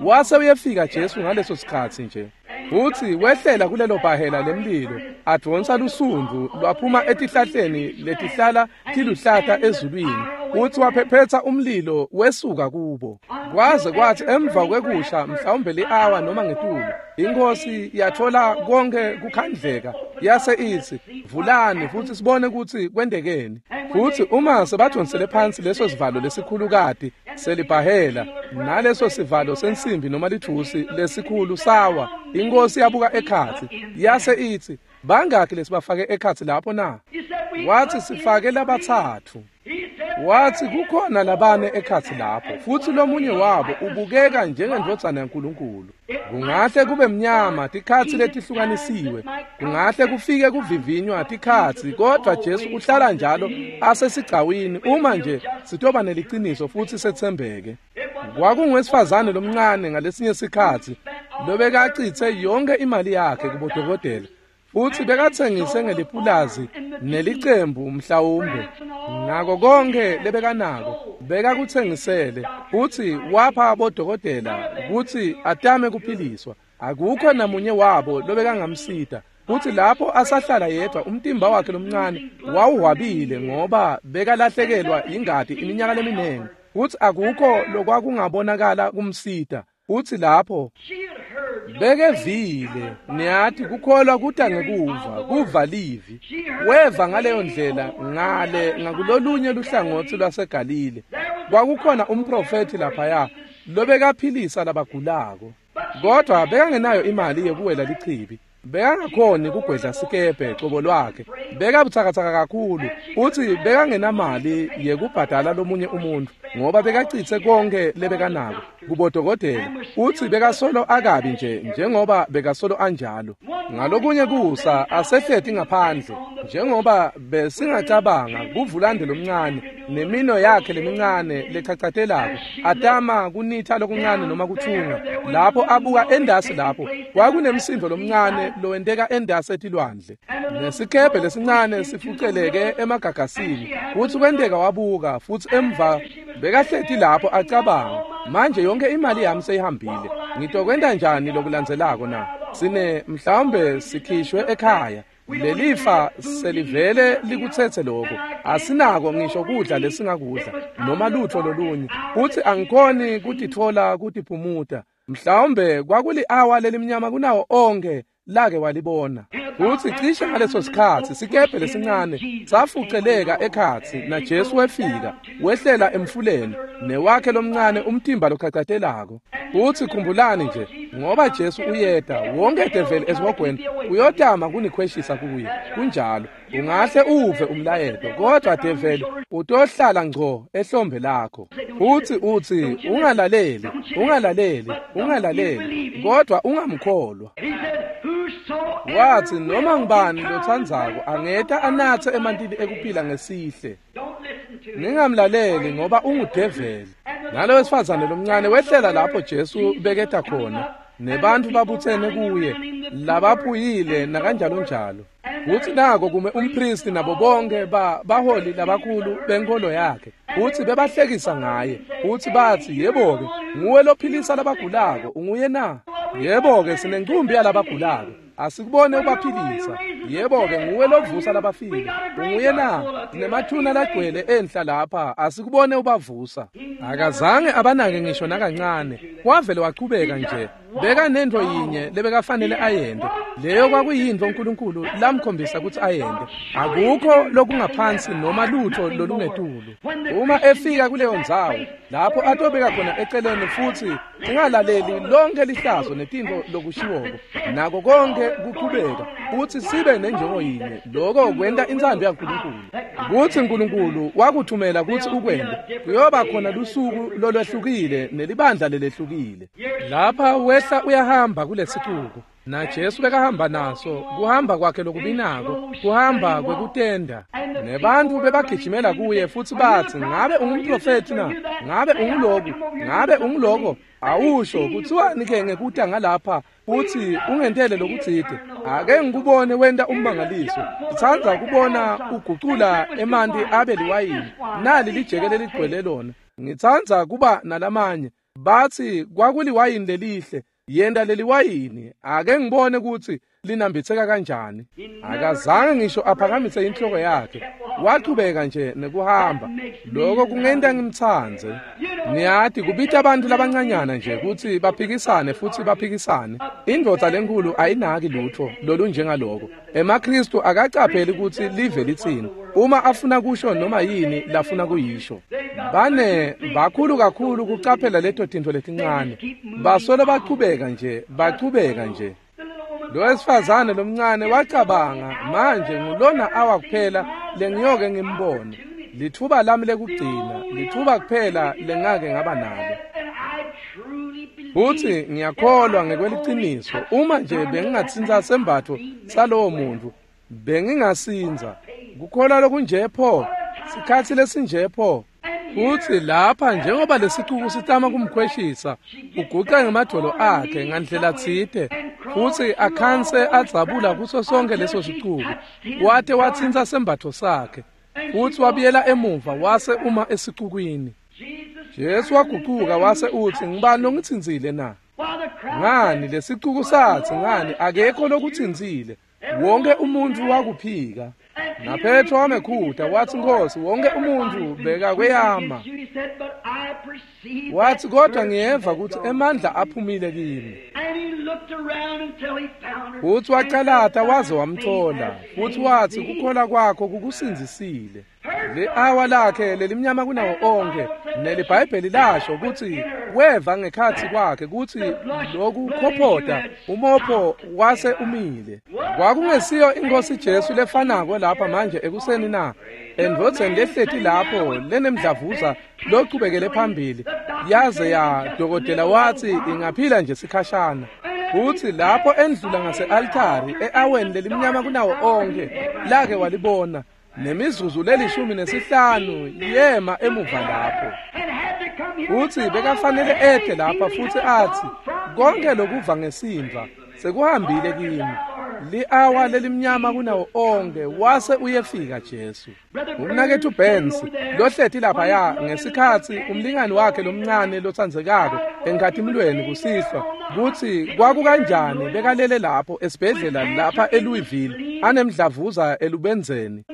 Wase uyefika Jesu ngaleso sikhathi nje. Futhi wehlela kulelo bhahela lemlilo, adonsa lusundvu lwaphuma etihlahleni letihlala tiluhlata ezulwini. Futhi waphephetha umlilo wesuka kubo. Kwaze kwathi emva kwekusha mhlawumbe li-awa noma ngetulu, inkosi yathola konke kukhandleka, yase ithi vulani futhi sibone ukuthi kwendekeni. Futhi uma sebadonsele phansi leso sivalo lesikhulukati selibhahela naleso sivalo sensimbi noma lithusi lesikhulu sawa, inkosi yabuka ekhatsi yase ithi bangakhi lesibafake ekhatsi lapho na? Wathi sifake labathathu. Wathi kukhona labane ekhatsi lapho, futhi lomunye wabo ubukeka njengendvodzana yaNkulunkulu. Kungahle kube mnyama tikhatsi letihlukanisiwe, kungahle kufike kuvivinywa tikhatsi, kodwa Jesu uhlala njalo asesigcawini uma nje sitoba neliciniso futhi setsembeke. Kwakungowesifazane lomncane ngalesinye sikhatsi lobekacitse yonke imali yakhe kubodokotela, futhi bekathengise ngelipulazi nelicembu mhlawumbe nako konke lebekanako bekakuthengisele, futhi wapha bodokotela ukuthi atame kuphiliswa. Akukho namunye wabo lobekangamsita. Futhi lapho asahlala yedwa umtimba wakhe lomncane wawuhwabile ngoba bekalahlekelwa ingati iminyaka leminingi, futhi akukho lokwakungabonakala kumsita. Futhi lapho Bekevile, niyati kukholwa kuta ngekuva, kuva livi. Weva ngaleyo ndlela ngale ngakulolunye luhlangotsi lwaseGalile. Kwakukhona umprofethi laphaya lobekaphilisa labagulako. Kodwa bekangenayo imali yekuwela lichibi. Bekangakhoni kugwedla sikebhe cobo lwakhe. Bekabutsakatsaka kakhulu futsi bekangenamali yekubhadala lomunye umuntfu ngoba bekacitse konke lebekanako kubodokotela. Futsi bekasolo akabi nje njengoba bekasolo anjalo. Ngalokunye kusa asehleti ngaphandle njengoba besingacabanga kuvulande lomncane nemino yakhe lemincane lechachatelako atama kunitha lokuncane noma kuthunga. Lapho abuka endasi lapho kwakunemsindo lomncane lowenteka endasi etilwandle nesikebhe lesincane sifuceleke emagagasini. Futsi kwenteka wabuka futsi emva bekahleti lapho acabanga, manje yonke imali yami seyihambile, ngitokwenta njani lokulandzelako na? Sine mhlawumbe sikhishwe ekhaya, lelifa selivele likutsetse lokho, asinako ngisho kudla lesingakudla noma lutho lolunye, futsi angikhoni kutitfola kutiphumuta. Mhlawumbe kwakuli-awa lelimnyama kunawo onke lake walibona. Futsi cishe ngaleso sikhatsi sikebhe lesincane safuceleka ekhatsi na Jesu wefika wehlela emfuleni newakhe lomncane umtimba lochachatelako. Futsi khumbulani nje, ngoba Jesu uyeta, wonke develi esihogweni uyotama kunikhweshisa kuye. Kunjalo, ungahle uve umlayeto, kodwa develi utohlala ngco ehlombe lakho. Futsi utsi ungalaleli, ungalaleli, ungalaleli, kodwa ungamkholwa. Watsi noma ngubani lotsandzako angeta anatse emantini ekuphila ngesihle. Ningamlaleli ngoba ungudeveli. Nalo wesifazane lomncane wehlela lapho Jesu beketa khona, nebantu babutsene kuye labaphuyile nakanjalo njalo. Futsi nako kume umpristi nabo bonke baholi labakhulu benkolo yakhe. Futsi bebahlekisa ngaye. Futsi batsi, yebo-ke, nguwe lophilisa labagulako, unguye na? Yebo-ke, sinencumbi yalabagulako, asikubone ubaphilisa. Yebo-ke, nguwe lovusa labafile, unguye na? Sinemathuna lagcwele enhla lapha, asikubone ubavusa. Akazange abanake ngisho nakancane, wavele wachubeka nje. Bekanento yinye lebekafanele ayente, leyo kwakuyintfo uNkulunkulu lamkhombisa kutsi ayente. Akukho lokungaphansi noma lutho lolungetulu. Uma efika kuleyo ndzawo lapho atobeka khona eceleni futsi ungalaleli lonke lihlazo netintfo lokushiwoko nako konke kuchubeka, futsi sibe nenjongo yinye, lokho kwenta intsandvo yaNkulunkulu. Kutsi uNkulunkulu wakuthumela kutsi ukwente, kuyoba khona lusuku lolwehlukile nelibandla lelehlukile. Lapha wehla uyahamba kulesixuku na Jesu bekahamba naso, kuhamba kwakhe lokubinako, kuhamba kwekutenda. Nebantu bebagijimela kuye futsi batsi, ngabe ungumprofethi na? Ngabe unguloku? Ngabe unguloko? Awusho kuthiwani ke ngekuta ngalapha futsi ungentele lokutsite? Ake ngikubone wenta ummangaliso. Sitsandza kubona ugucula emanti abe liwayini. Nali lijeke leligcwele lona. Ngitsandza kuba nalamanye. Batsi kwakuliwayini lelihle. Yenta leliwayini, ake ngibone kutsi linambitseka kanjani. Akazange ngisho aphakamise inhloko yakhe, wachubeka nje nekuhamba. Lokho kungenta ngimtsandze. Niyati kubita abantu labancanyana nje kutsi baphikisane futsi baphikisane. Indvodza lenkulu ayinaki lutho lolunjengaloko. EmaKristu akacapheli kutsi live litsini uma afuna kusho noma yini lafuna kuyisho. Bane bakhulu kakhulu kucaphela leto tintfo letincane. Basolo bachubeka nje, bachubeka nje. Lo wesifazane lomncane wacabanga, manje ngulona awa kuphela lengiyoke ngimbone. Lithuba lami lekugcina, lithuba kuphela lengake ngaba nalo. Futsi ngiyakholwa ngekweliciniso, uma nje bengingatsintsa sembatfo salowo muntu, bengingasindza. Kukholwa lokunje pho, sikhatsi lesinje pho. Futsi lapha njengoba lesicuku sitama kumkhweshisa, uguca ngemadvolo akhe ngandlela tsite, futsi akhanse adzabula kuso sonke leso sicuku, wate watsintsa sembatfo sakhe, futsi wabuyela emuva wase uma esicukwini. Jesu wagucuka wase utsi, ngibani longitsintsile na? Ngani lesicuku satsi, ngani akekho lokutsintsile, wonke umuntfu wakuphika. Na Petro wamekhuta watsi, Nkosi, wonke umuntfu bekakweyama. Watsi, kodwa ngiyeva kutsi emandla aphumile kimi. Futsi wacalata waze wamthola, futsi watsi kukholwa kwakho kukusindzisile. Li-awa lakhe lelimnyama kunawo onkhe, neliBhayibheli lasho kutsi weva ngekhatsi kwakhe kutsi lokukhophota umopho wase umile. Kwakungesiyo iNkhosi Jesu lefanako lapha manje ekuseni na? Endvodzeni lehleti lapho lenemdlavuza lochubekele phambili, yaze ya dokotela watsi ingaphila nje sikhashana. Futsi lapho endlula ngase-altari e-aweni lelimnyama kunawo onkhe lake walibona, nemizuzu le-15 yema emuva lapho. Futsi bekafanele ete lapha futsi atsi konke lokuva ngesimva sekuhambile kimi. Li-awa lelimnyama kunawo onkhe wase uyefika Jesu. Umnaketfu Benz lohleti laphaya ngesikhatsi umlingani wakhe lomncane lotsandzekako enkhatimulweni kusihlwa kutsi kwakukanjani bekalele lapho esibhedlela lapha eLouisville anemdlavuza elubenzeni.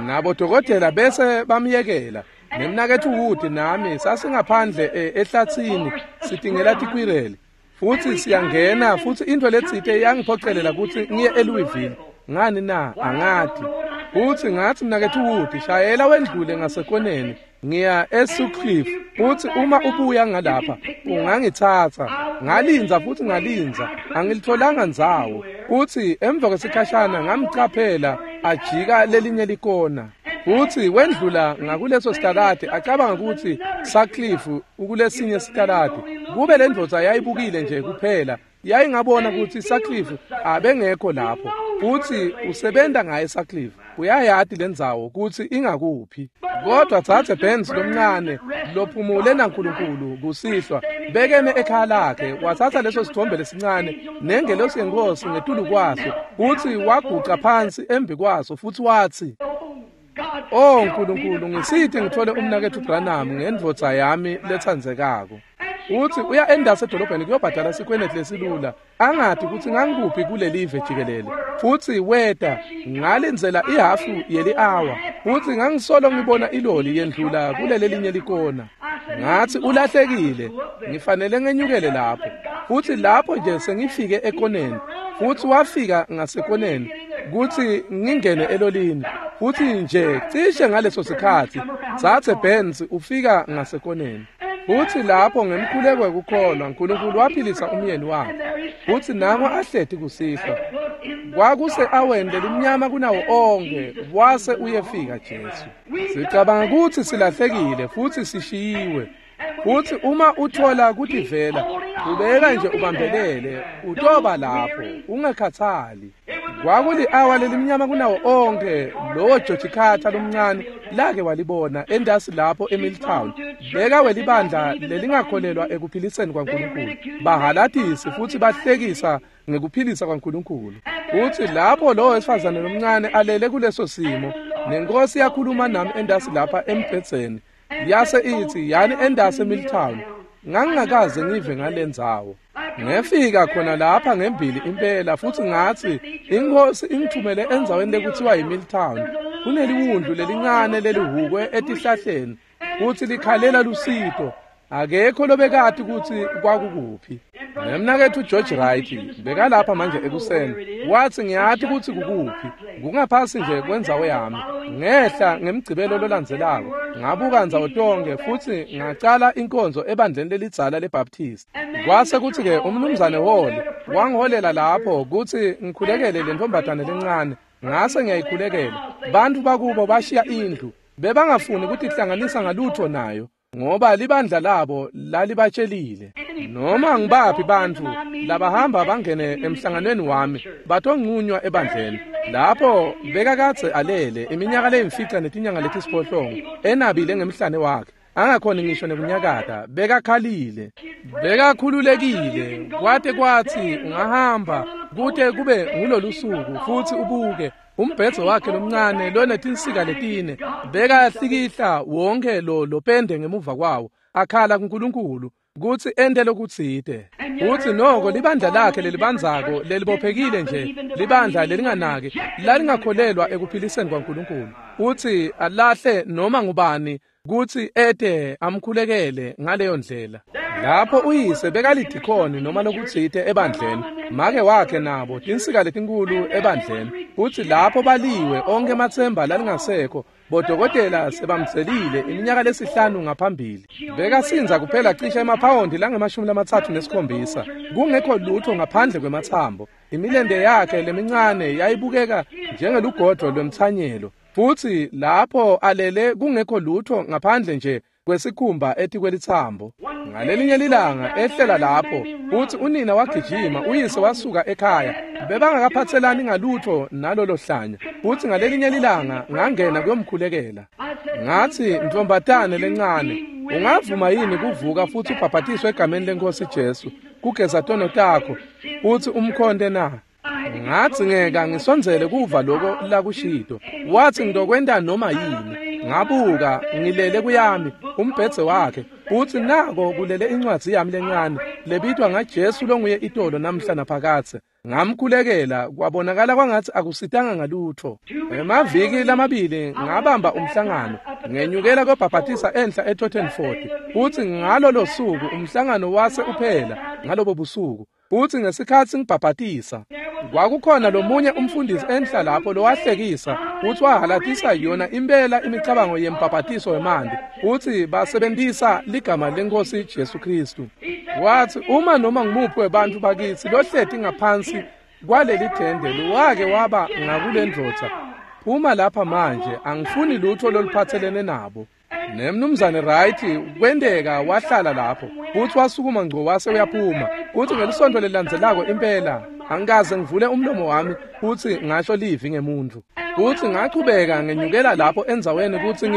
Nabodokotela bese bamyekela. Nemnaketfu Wood nami sasingaphandle ehlatsini sitingela tikwireli. Futsi siyangena futsi intfo letsite yangiphocelela kutsi ngiye eLouisville. Ngani na? Angati. Futsi ngatsi mnaketfu Wood, shayela wendlule ngasekoneni ngiya eSutcliffe, futsi uma ubuya ngalapha ungangitsatsa. Ngalinza futsi ngalinza, angilitholanga ndzawo. Futsi emva kwesikhashana ngamcaphela ajika lelinye likona. Futsi wendlula ngakuleso sitaladi acabanga kutsi Sutcliffe ukulesinye sitaladi. Kube le ndvodza yayibukile nje kuphela, yayingabona kutsi Sutcliffe abengekho lapho. Futsi usebenta ngaye Sutcliffe, uyayati lendzawo kutsi ingakuphi. Kodwa dzadze Benz lomncane lophumule naNkulunkulu kusihlwa bekeme ekhaya lakhe, watsatsa leso sithombe lesincane nengelosi yeNkhosi ngetulu kwaso, futsi waguca phansi embi kwaso futsi watsi, "Oh Nkulunkulu, ngisite ngithole umnaketfu Branham ngendvodza yami letsandzekako." Utsi uya endasi edolobheni kuyobhadala sikweleti lesilula, angati kutsi ngangikuphi kulelive jikelele. Futsi weta, ngalindzela ihafu yeli-awa, futsi ngangisolo ngibona iloli yendlula kulelelinye likona. Ngatsi ulahlekile, ngifanele ngenyukele lapho. Futsi lapho nje sengifike ekoneni, futsi wafika ngasekoneni kutsi ngingene elolini. Futsi nje cishe ngaleso sikhatsi Dzadze Benz ufika ngasekoneni. Futsi lapho ngemkhuleko wekukholwa Nkulunkulu waphilisa umyeni wakhe. Futsi nango ahleti kusihlwa. Kwakuse-aweni lelimnyama kunawo onkhe wase uyefika Jesu. Sicabanga kutsi silahlekile futsi sishiyiwe. Futsi uma uthola kutivela, ubeka nje ubambelele, utoba lapho, ungakhathali. Kwakuli-awa lelimnyama kunawo onkhe lowo George Carter lomncane lake walibona endasi lapho eMilltown. Beka welibandla lelingakholelwa ekuphiliseni kwaNkulunkulu. Bahalatisi futsi bahlekisa ngekuphilisa kwaNkulunkulu. Futsi lapho lowo wesifazane lomncane alele kuleso simo, nenkosi yakhuluma nami endasi lapha embhedzeni. Yase itsi, "Yani endasi eMilltown." Ngangingakaze ngive ngalendzawo. Ngefika khona lapha ngembili impela futsi ngatsi iNkhosi ingithumele endzaweni lekuthiwa yiMilltown. Kuneliwundlu lelincane lelihukwe etihlahleni futsi likhalela lusito. Akekho lobekati kutsi kwakukuphi. Nemnaketfu George Wright bekalapha manje ekuseni. Watsi ngiyati kutsi kukuphi. Kungaphasi nje kwendzawo yami. Ngehla ngemgcibelo lolandzelako ngabuka ndzawo tonke futsi ngacala inkonzo ebandleni lelidzala leBaptist. Kwase kutsi-ke umnumzane Hall wangiholela lapho kutsi ngikhulekele le ntombazane lencane. Ngase ngiyayikhulekela. Bantfu bakubo bashiya indlu. Bebangafuni kutihlanganisa ngalutho nayo, ngoba libandla labo lalibatshelile. Noma ngibaphi bantfu labahamba bangene emhlanganweni wami batonqunywa ebandleni. Lapho bekakadze alele iminyaka leyimfica netinyanga letisiphohlongo enabile ngemhlane wakhe, angakhoni ngisho nekunyakata, bekakhalile, bekakhululekile, kwate kwatsi ungahamba kute kube ngulolusuku futsi ubuke umbhedzo wakhe lomncane lonetinsika letine bekahlikihla wonke lo lopende ngemuva kwawo, akhala kuNkulunkulu kutsi ente lokutsite. Futsi noko libandla lakhe lelibandzako lelibophekile nje, libandla lelinganaki lalingakholelwa ekuphiliseni kwaNkulunkulu. Futsi alahle noma ngubani kutsi ete amkhulekele ngaleyo ndlela. Lapho uyise bekalidikhoni noma lokutsite ebandleni, make wakhe nabo tinsika letinkulu ebandleni. Futsi lapho baliwe onkhe ematsemba lalingasekho, bodokotela sebamdzelile iminyaka lesihlanu ngaphambili. Bekasindza kuphela cishe emaphawondi langama-37, kungekho lutho ngaphandle kwematsambo. Imilente yakhe lemincane yayibukeka njengelugodvo lwemtsanyelo. Futsi lapho alele kungekho lutho ngaphandle nje kwesikhumba etikwelitsambo. Ngalelinye lilanga ehlela lapho, futsi unina wagijima, uyise wasuka ekhaya. Bebangakaphatselani ngalutho nalolo hlanya. Futsi ngalelinye lilanga ngangena kuyomkhulekela. Ngatsi, ntombatane lencane, ungavuma yini kuvuka futsi ubhabhatiswe egameni leNkosi Jesu, kugeza tono takho, futsi umkhonte na? Ngadzingeka ngisondzele kuva loko lakushito. Watsi ngitokwenta noma yini. Ngabuka ngilele kuyami umbhedze wakhe, futsi nako kulele incwadzi yami lencane lebitwa ngaJesu longuye itolo namhla naphakadze. Ngamkhulekela, kwabonakala kwangatsi akusitanga ngalutho. Emaviki lamabili ngabamba umhlangano, ngenyukela kobhabhatisa enhla eTottenford. Futsi ngalolo suku umhlangano wase uphela ngalobo busuku. Futsi ngesikhatsi ngibhabhatisa, kwakukhona lomunye umfundisi enhla lapho lowahlekisa futsi wahalatisa yona impela imicabango yembhabhatiso wemanti, futsi basebentisa ligama leNkosi Jesu Khristu. Watsi uma noma ngumuphi webantfu bakitsi lohleti ngaphansi kwaleli tende lowake waba ngakulendvodza, phuma lapha manje, angifuni lutho loluphatselene nabo. Nemnumzane Wright kwenteka wahlala lapho, futsi wasukuma ngco wase uyaphuma. Futsi ngelisonto lelilandzelako impela angikaze ngivule umlomo wami futsi ngasho livi ngemuntfu. Futsi ngachubeka ngenyukela lapho endzaweni kutsi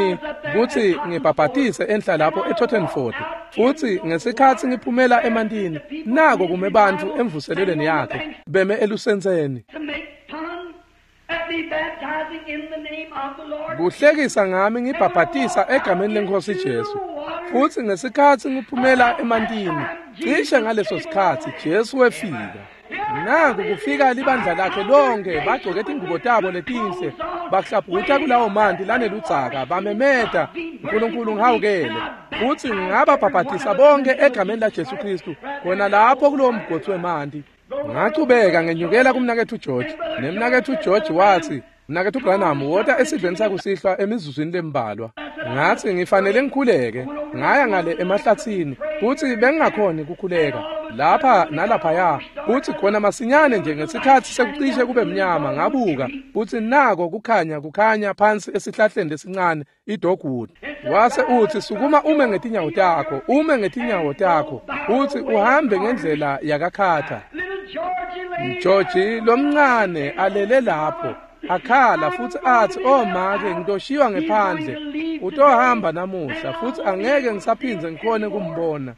ngibhabhatise enhla lapho eTottenford. Futsi ngesikhatsi ngiphumela emantini, nako kume bantfu emvuselelweni yakhe beme elusentseni. Kuhlekisa ngami ngibhabhatisa egameni leNkosi Jesu. Futsi ngesikhatsi ngiphumela emantini, cishe ngaleso sikhatsi Jesu wefika. Naku kufika libandla lakhe lonke, bagcoke tingubo tabo letinhle, bahlabhuta kulawo manti laneludzaka, bamemeta, uNkulunkulu ngihawukele. Futsi ngababhabhatisa bonke egameni laJesu Khristu, khona lapho kulowo mgodzi wemanti. Ngachubeka ngenyukela kumnaketfu George, nemnaketfu George watsi, mnaketfu Branham, wota esidlweni sakusihlwa emizuzwini lembalwa. Ngatsi ngifanele ngikhuleke. Ngaya ngale emahlatsini, futsi bengingakhoni kukhuleka lapha nalaphaya. Futsi khona masinyane nje ngesikhatsi sekucishe kube mnyama, ngabuka, futsi nako kukhanya phansi esihlahleni lesincane idogwood. Wase utsi, sukuma ume ngetinyawo takho, ume ngetinyawo takho, utsi uhambe ngendlela yakaKhatha. George lomncane alele lapho akhala futsi atsi, oh make, ngitoshiywa ngephandle, utohamba namuhla futsi angeke ngisaphindze ngikhone kumbona.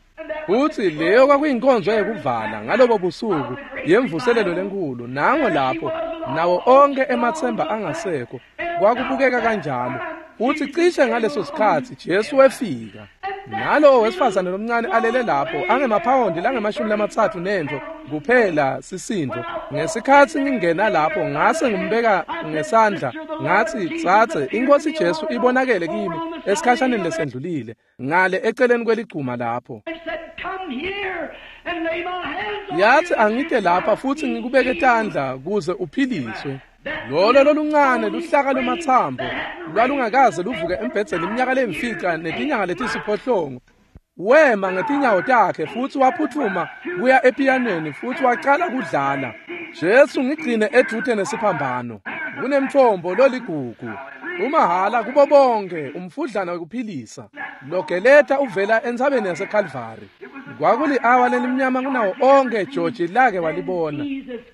Futsi leyo kwakuyinkonzo yekuvala ngalobo busuku yemvuselelo lenkulu. Nango lapho nawo onke ematsemba angasekho, kwakubukeka kanjalo. Futsi cishe ngaleso sikhatsi Jesu wefika. Nalowo wesifazane lomncane alele lapho angemaphawondi langama-30 nentfo kuphela sisindvo. Ngesikhatsi ngingena lapho ngase ngimbeka ngesandla, ngatsi, tsatse, iNkosi Jesu ibonakele kimi esikhashaneni lesendlulile ngale eceleni kweligcuma lapho. Yathi angite lapha futsi ngikubeke tandla kuze uphiliswe. Lolo loluncane luhlaka lwematsambo lwalungakaze luvuke embhedzeni iminyaka lemfica netinyanga letisiphohlongo. Wema ngetinyawo takhe futsi waphutfuma kuya epiyanweni futsi wacala kudlala. Jesu ngigcine edvute nesiphambano. Kunemtfombo loligugu, umahhala kubo bonke, umfudlana wekuphilisa logeleta uvela entsabeni yaseKalvari. Kwakuli-awa lelimnyama kunawo onke George lake walibona.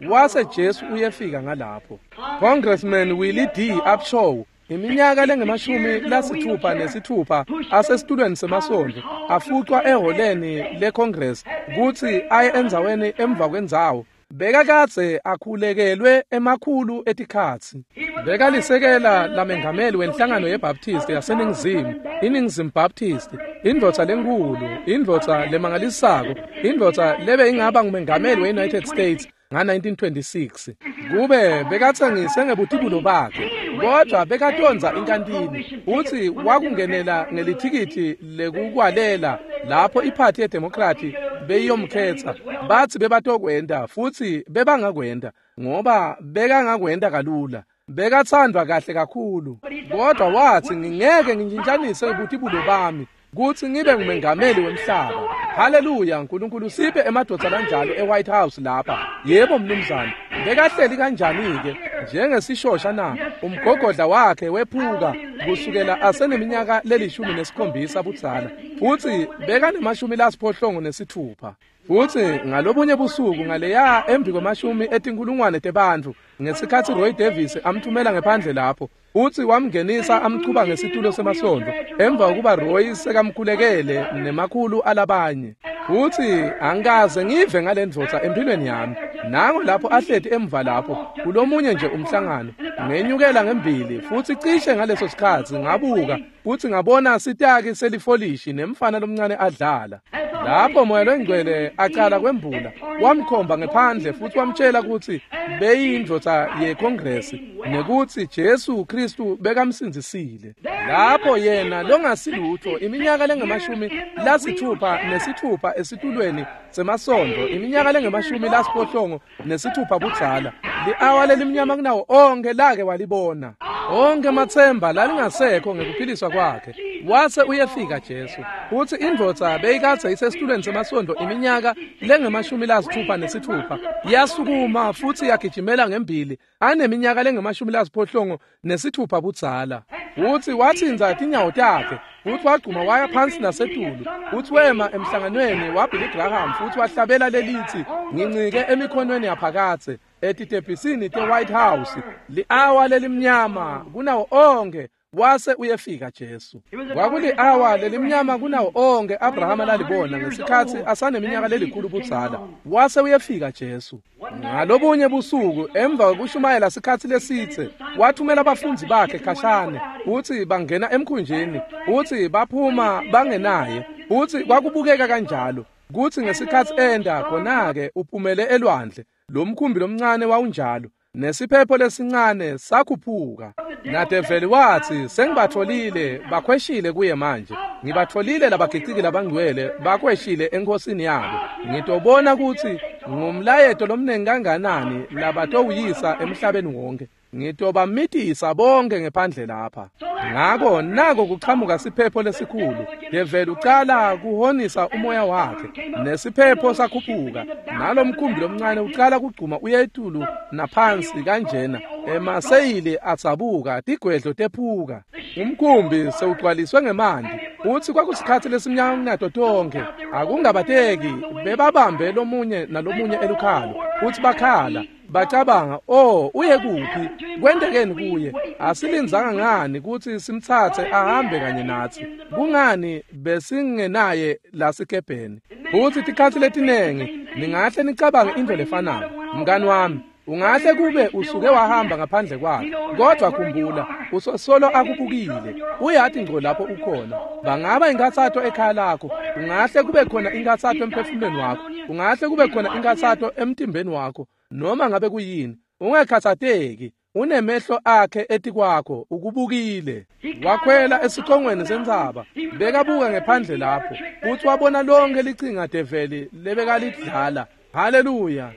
Wase Jesu uyefika ngalapho. Congressman Willie D. Upshaw, iminyaka lengama-66 asesitulweni semasondvo, afucwa eholeni leCongress kutsi aye endzaweni emva kwendzawo. Bekakadze akhulekelwe emakhulu etikhatsi. Bekalisekela lamengameli wenhlangano yeBaptist yaseNingizimu, iNingizimu Baptist, indvodza lenkulu, indvodza lemangalisako, indvodza lebe ingaba ngumengameli we-United States nga-1926. Kube bekatsengise ngebutibulo bakhe. Kodwa bekatondza inkantini, utsi wakungenela ngelithikithi lekukwalela lapho iphathi yeDemocrat beyiyomkhetsa. Batsi bebatokwenta futsi bebangakwenta ngoba bekangakwenta kalula. Bekatsandvwa kahle kakhulu. Kodwa watsi ngingeke ngintshintshanise butibulo bami kutsi ngibe ngumengameli wemhlaba. Haleluya, uNkulunkulu siphe emadvodza lanjalo eWhite House lapha. Yebo mnumzane, bekahleli kanjani-ke njengesishosha na? Umgogodla wakhe wephuka kusukela aseneminyaka le-17 budzala, futsi bekane-86. Futsi ngalobunye busuku ngaleya embi kwema-10,000 tebantfu ngesikhatsi Roy Davis amthumela ngephandle lapho, utsi wamngenisa amchuba ngesitulo semasondo emva kokuba Roy sekamkhulekele nemakhulu alabanye. Futsi angikaze ngive ngale ndvodza empilweni yami. Nango lapho ahleti emva lapho kulomunye nje umhlangano, ngenyukela ngembili futsi cishe ngaleso sikhatsi ngabuka futsi ngabona sitaki selifolishi nemfana lomncane adlala. Lapho Moya Longcwele acala kwembula, wamkhomba ngephandle futsi wamtshela kutsi beyindvodza yeKongresi nekutsi Jesu Kristu bekamsindzisile. Lapho yena longasilutho iminyaka lengama-66 esitulweni semasondo, iminyaka lengama-66 budzala, li-awa lelimnyama kunawo onke lake walibona. Onke matsemba lalingasekho ngekuphiliswa kwakhe. Wase uyefika Jesu. Utsi indvodza beyikadze isesitulweni semasondo iminyaka lengama-66 yasukuma futsi yagijimela ngembili aneminyaka lengama-66 budzala. Utsi watsintsa tinyawo takhe, futsi wagcuma waya phansi nasetulu. Utsi wema emhlanganweni waBilly Graham futsi wahlabela lelitsi ngincike emikhonweni yaphakadze etitebhisini te-White House, li-awa lelimnyama kunawo onke. Wase uyefika Jesu. Kwakuli-awa lelimnyama kunawo onke Abrahama lalibona ngesikhatsi asaneminyaka lelikhulu budzala. Wase uyefika Jesu. Ngalobunye busuku emva kokushumayela sikhatsi lesitse, wathumela abafundzi bakhe khashane, utsi bangena emkhunjini, utsi baphuma bangenaye, utsi kwakubukeka kanjalo kutsi ngesikhatsi enda khona-ke uphumele elwandle. Lo mkhumbi lomncane wawunjalo, nesiphepho lesincane sakhuphuka. Nadeveli watsi sengibatfolile, bakhweshile kuye manje. Ngibatfolile labagiciki labangcwele bakhweshile enkosini yabo. Ngitobona kutsi ngumlayeto lomnengi kanganani labatowuyisa emhlabeni wonke. Ngitobamitisa bonke ngephandle lapha. Ngako nako kuchamuka siphepho lesikhulu. Develi ucala kuhonisa umoya wakhe, nesiphepho sakhuphuka, nalomkhumbi lomncane ucala kugcuma uye etulu naphansi kanjena. Emaseyili atsabuka, tigwedlo tephuka. Umkhumbi sewugcwaliswe ngemanti. Utsi kwakusikhatsi lesimnyama kunato tonke. Akungabateki, bebabambe lomunye nalomunye elukhalo. Utsi bakhala, bacabanga, oh, uye kuphi? Kwentekeni kuye? Asilindzanga ngani kutsi simtsatse ahambe kanye natsi? Kungani besingenaye lasikebheni? Futsi tikhatsi letinengi ningahle nicabange into lefanako. Mngani wami, ungahle kube usuke wahamba ngaphandle kwakhe, kodwa khumbula, usosolo akubukile. Uyati ngco lapho ukhona. Bangaba inkathato ekhaya lakho, ungahle kube khona inkathato emphefumulweni wakho, ungahle kube khona inkathato emtimbeni wakho, noma ngabe kuyini. Ungakhathateki, unemehlo akhe etikwakho, ukubukile. Wakhwela esicongweni sentsaba, bekabuka ngephandle lapho, futsi wabona lonke lichinga develi lebekalidlala. Haleluya.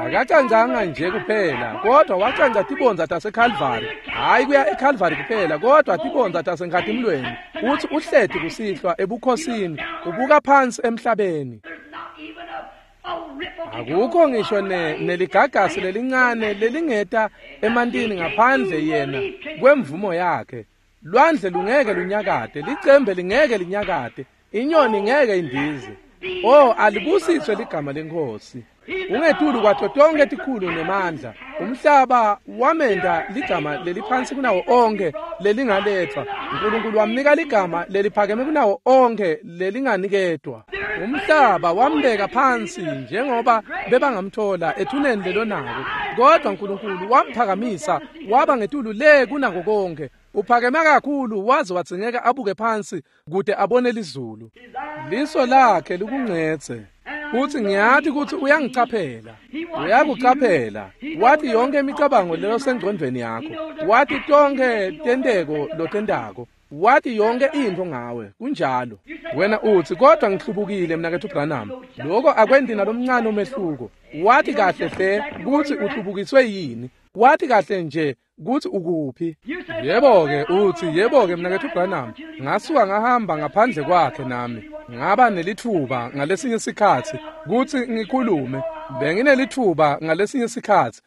Akacancanga nje kuphela, kodwa wacanca tibondza taseKalvari. Hayi kuya eKalvari kuphela, kodwa tibondza taseNkhatimlweni. Utsi uhleti kusihlwa ebukhosini, ubuka phansi emhlabeni. Akukho ngisho neligagasi lelincane lelingeta emantini ngaphandle yena kwemvumo yakhe. Lwandle lungeke lunyakate, licembe lingeke linyakate, inyoni ngeke indize. Oh, alibusiswe ligama leNkhosi. Ungetulu kwato tonke tikhulu nemandla. Umhlaba wamenda ligama leliphansi kunawo onke lelingaletfwa. uNkulunkulu wamnika ligama leliphakeme kunawo onke lelinganikedwa. Umhlaba wambeka phansi njengoba bebangamthola ethuneni lelonako, kodwa uNkulunkulu wamphakamisa waba ngetulu le kunako konke. Uphakeme kakhulu waze wadzingeka abuke phansi kude abone lizulu. Liso lakhe likungcetse. Futsi ngiyati kutsi uyangicaphela. Uyakucaphela. Wati yonke imicabango leyosengcondvweni yakho. Wati tonkhe tenteko lotentako. Wati yonke intfo ngawe. Kunjalo. Wena utsi, kodwa ngihlubukile mnaketfu Branham. Loko akwenti nalomncane umehluko. Wati kahle hle kutsi uhlubukiswe yini. Wati kahle nje kutsi ukuphi. Yebo-ke utsi, yebo-ke mnaketfu Branham, ngasuka ngahamba ngaphandle kwakhe nami. Ngaba nelitfuba ngalesinye sikhatsi kutsi ngikhulume. Benginelitfuba ngalesinye sikhatsi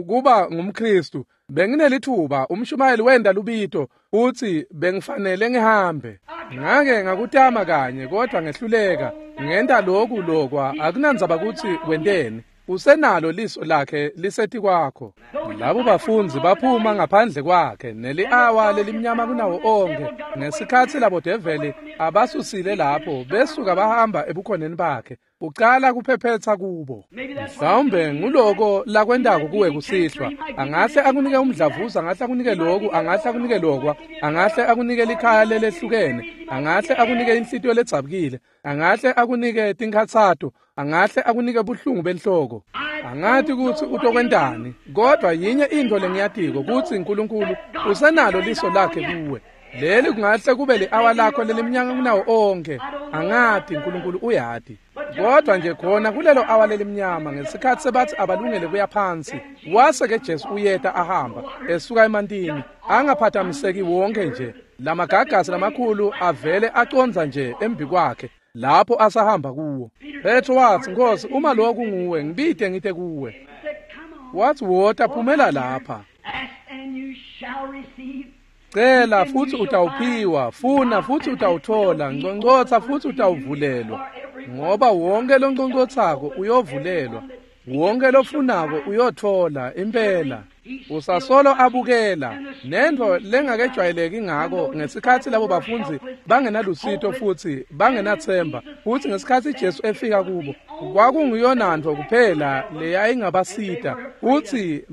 kuba ngumKhristu. Benginelitfuba, umshumayeli wenda lubito utsi bengifanele ngihambe. Ngake ngakutama kanye kodwa ngehluleka. Ngenta loku lokwa, akunandzaba kutsi wenteni. Usenalo liso lakhe lisetikwakho. Labo bafundzi baphuma ngaphandle kwakhe neli-awa lelimnyama kunawo onkhe. Ngesikhatsi labo develi abasusile lapho, besuka bahamba ebukhoneni bakhe. Ucala kuphephetsa kubo. Mhlawumbe nguloko lakwentako kuwe kusihlwa. Angahle akunike umdlavuza, angahle akunike loku, angahle akunike lokwa, angahle akunike likhaya lelehlukene, angahle akunike inhlitiyo ledzabukile, angahle akunike tinkhatsato, angahle akunike buhlungu benhloko. Angati kutsi utokwentani, kodwa yinye intfo lengiyatiko kutsi uNkulunkulu usenalo liso lakhe kuwe. Leli kungahle kube li-awa lakho lelimnyama kunawo onkhe. Angati, uNkulunkulu uyati. Kodwa nje khona kulelo awa lelimnyama ngesikhatsi sebatsi abalungele kuya phansi, wase-ke Jesu uyeta ahamba esuka emantini, angaphathamiseki wonke nje. Lamagagasi lamakhulu avele acondza nje embikwakhe lapho asahamba kuwo. Petro watsi, Nkhosi, uma lokhu nguwe, ngibite ngite kuwe. Watsi, wota phumela lapha. Cela futsi utawuphiwa, funa futsi utawuthola, nconcotsha futsi utawuvulelwa. Ngoba wonke lonconcotsako uyovulelwa, wonke lofunako uyothola impela. Usasolo abukela. Nentfo lengakejwayeleki ngako ngesikhatsi labo bafundzi bangenalusito futsi bangenatsemba, futsi ngesikhatsi Jesu efika kubo, kwakunguyonantfo kuphela leyayingabasita, futsi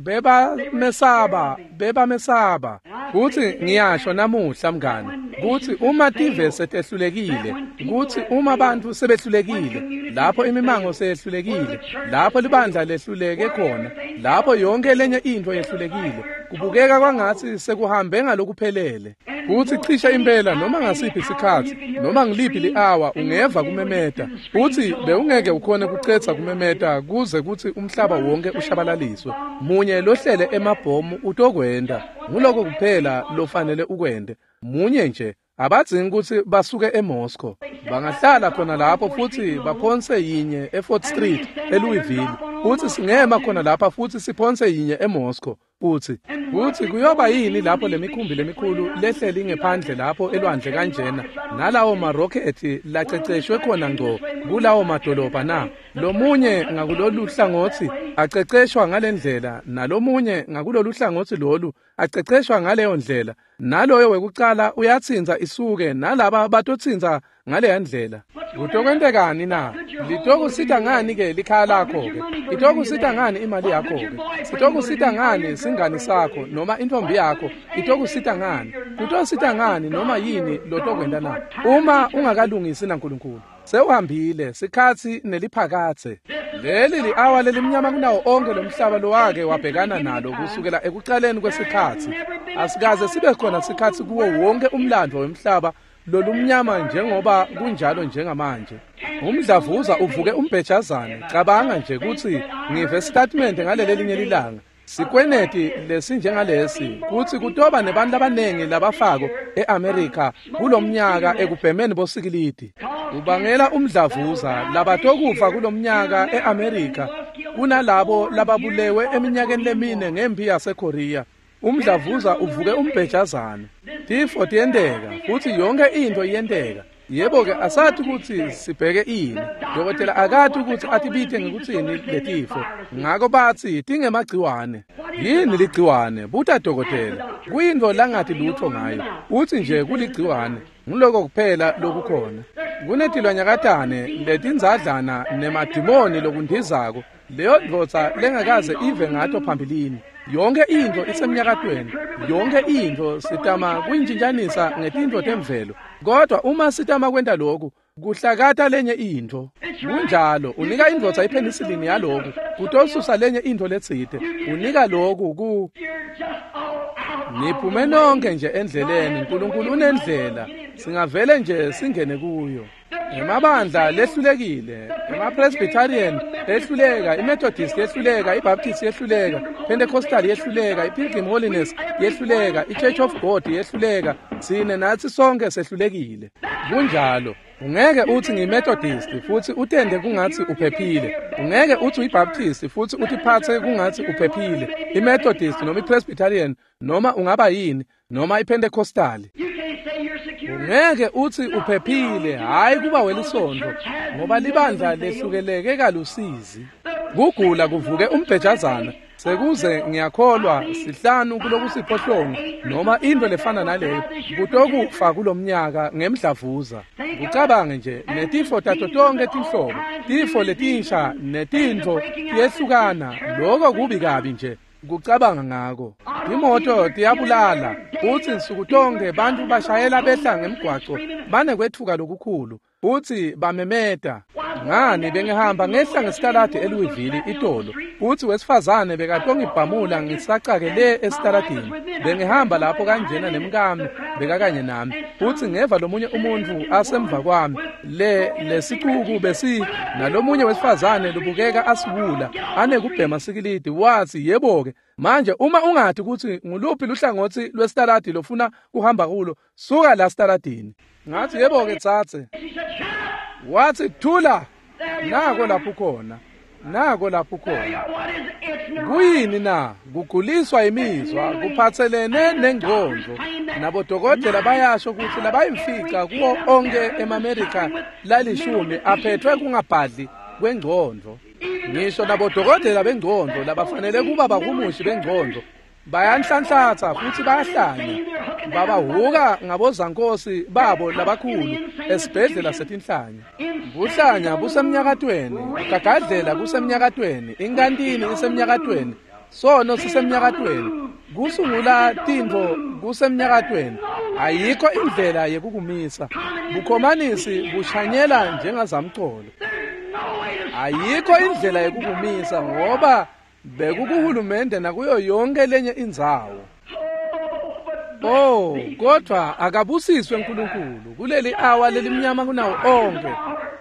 bebamesaba. Futsi ngiyasho namuhla mngani, kutsi uma tive setehlulekile, kutsi uma bantfu sebehlulekile, lapho imimango seyehlulekile, lapho libandla lehluleke khona, lapho yonke lenye intfo yehlulekile, kubukeka kwangatsi sekuhambe ngalokuphelele. Futsi cishe impela noma ngasiphi sikhatsi, noma ngiliphi li-awa ungeva kumemeta, futsi bewungeke ukhone kucedza kumemeta kuze kutsi umhlaba wonke ushabalaliswe. Munye lohlele emabhomu utokwenta, nguloko kuphela lofanele ukwente. Munye nje, abadzingi kutsi basuke eMoscow. Bangahlala khona lapho futsi baphonse yinye eFort Street eLouisville, futsi singema khona lapha futsi siphonse yinye eMoscow. Futsi kuyoba yini lapho lemikhumbi lemikhulu lehleli ngephandle lapho elwandle kanjena nalawo marokhethi laceceshwe khona ngco kulawo madolobha na? Lomunye ngakulolu hlangotsi aceceshwa ngalendlela, nalomunye ngakulolu hlangotsi lolu aceceshwa ngaleyo ndlela, naloyo wekucala uyatsintsa isuke, nalaba batotsintsa ngaleya ndlela. Kutokwentekani na? Litokusita ngani ke likhaya lakho-ke? Itokusita ngani imali yakho-ke? Sitokusita ngani singani sakho noma intombi yakho? Itokusita ngani? Kutosita ngani noma yini lotokwenta na? Uma ungakalungisi naNkulunkulu, sewuhambile sikhatsi neliphakatse. Leli li-awa lelimnyama kunawo onkhe lomhlaba lowake wabhekana nalo kusukela ekucaleni kwesikhatsi. Asikaze sibe khona sikhatsi kuwo wonke umlandvo wemhlaba lolumnyama njengoba kunjalo njengamanje. Umdlavuza uvuke umbhejazane. Cabanga nje kutsi ngive statement ngalelelinye lilanga. Sikweneti lesinjengalesi kutsi kutoba nebantu labanengi labafako eAmerica kulomnyaka ekubhemeni bosikilidi. Ubangela umdlavuza labatokufa kulomnyaka eAmerica kunalabo lababulewe eminyakeni lemine ngempi yaseKorea. Umdlavuza uvuke umbhejazane. Tifo tiyenteka futsi yonke intfo iyenteka. Yebo-ke asati kutsi sibheke ini. Dokotela akati kutsi atibite ngekutsini letifo. Ngako batsi tingemagciwane. Yini ligciwane? Buta dokotela. Kuyintfo langati lutho ngayo. Utsi nje kuligciwane. Nguloko kuphela lokukhona. Kunetilwanyakatane letindzadlana nemadimoni lokundizako. Leyo ndvodza lengakaze ive ngato phambilini. Yonke intfo isemnyakatweni. Yonke intfo sitama kuyintjintjanisa ngetintfo temvelo. Kodwa uma sitama kwenta lokhu, Kuhlakata lenye intfo. Kunjalo, unika indvodza ipenicillin yaloku, kutosusa lenye intfo letsite. Unika loku ku niphume nonke nje endleleni. Nkulunkulu unendlela, singavele nje singene kuyo. Emabandla lehlulekile, emaPresbyterian ehluleka, iMethodist yehluleka, iBaptist yehluleka, Pentecostal yehluleka, iPilgrim Holiness yehluleka, iChurch of God yehluleka. Sine natsi sonke sehlulekile. Kunjalo. Ungeke uthi ngiyiMethodist futhi utende kungathi uphephile. Ungeke uthi uyiBaptist futhi utiphathe kungathi uphephile. IMethodist noma iPresbyterian noma ungaba yini noma iPentecostal. Ungeke uthi uphephile, hayi kuba welisonto, ngoba libandla lehlukeleke kalusizi. Kugula kuvuke umbhejazana, sekuze ngiyakholwa 5 kulokusiphohlongo noma into lefana naleyo kutokufa kulomnyaka ngemdlavuza. Ucabange nje netifo tato tonke tinhlobo, tifo letinsha netintfo tiyehlukana, lokho kubi kabi nje kucabanga ngako. Imoto tiyabulala, futsi nsuku tonke bantfu bashayela behla ngemgwaco banekwetfuka lokukhulu, futsi bamemeta. Ngani bengihamba ngehla ngesitaladi eLouisville itolo, futsi wesifazane bekatongibhamula ngisacake le esitaladini. Bengihamba lapho kanjena nemkami bekakanye nami, futsi ngeva lomunye umuntfu asemva kwami, le lesicuku besi nalomunye wesifazane lobukeka asiwula anekubhema sikilidi. Watsi, yebo-ke manje uma ungati kutsi nguluphi luhlangotsi lwesitaladi lofuna kuhamba kulo, suka la sitaladini. Ngathi, yebo-ke tsatse. Watsi, thula. Nako lapho khona, nako lapho khona. Kuyini na? Kuguliswa imizwa kuphatselene nengcondvo. Nabodokotela bayasho kutsi labayimfica kuwo onke emaMerika lalishumi aphethwe kungabhadli kwengcondvo. Ngisho nabodokotela bengcondvo labafanele kuba bahumushi bengcondvo bayanhlanhlatsa futhi bayahlanya, babahuka ngabozankosi babo labakhulu esibhedlela setinhlanya. Buhlanya busemnyakatweni, kugagadlela kusemnyakatweni, inkantini isemnyakatweni, sono sisemnyakatweni, kusungula tintfo kusemnyakatweni. Ayikho indlela yekukumisa. Bukhomanisi bushanyela njengazamcolo. Ayikho indlela yekukumisa ngoba bekukuhulumende nakuyo yonke lenye indzawo. Oh, kodwa akabusiswe uNkulunkulu kuleli awa lelimnyama kunawo onke.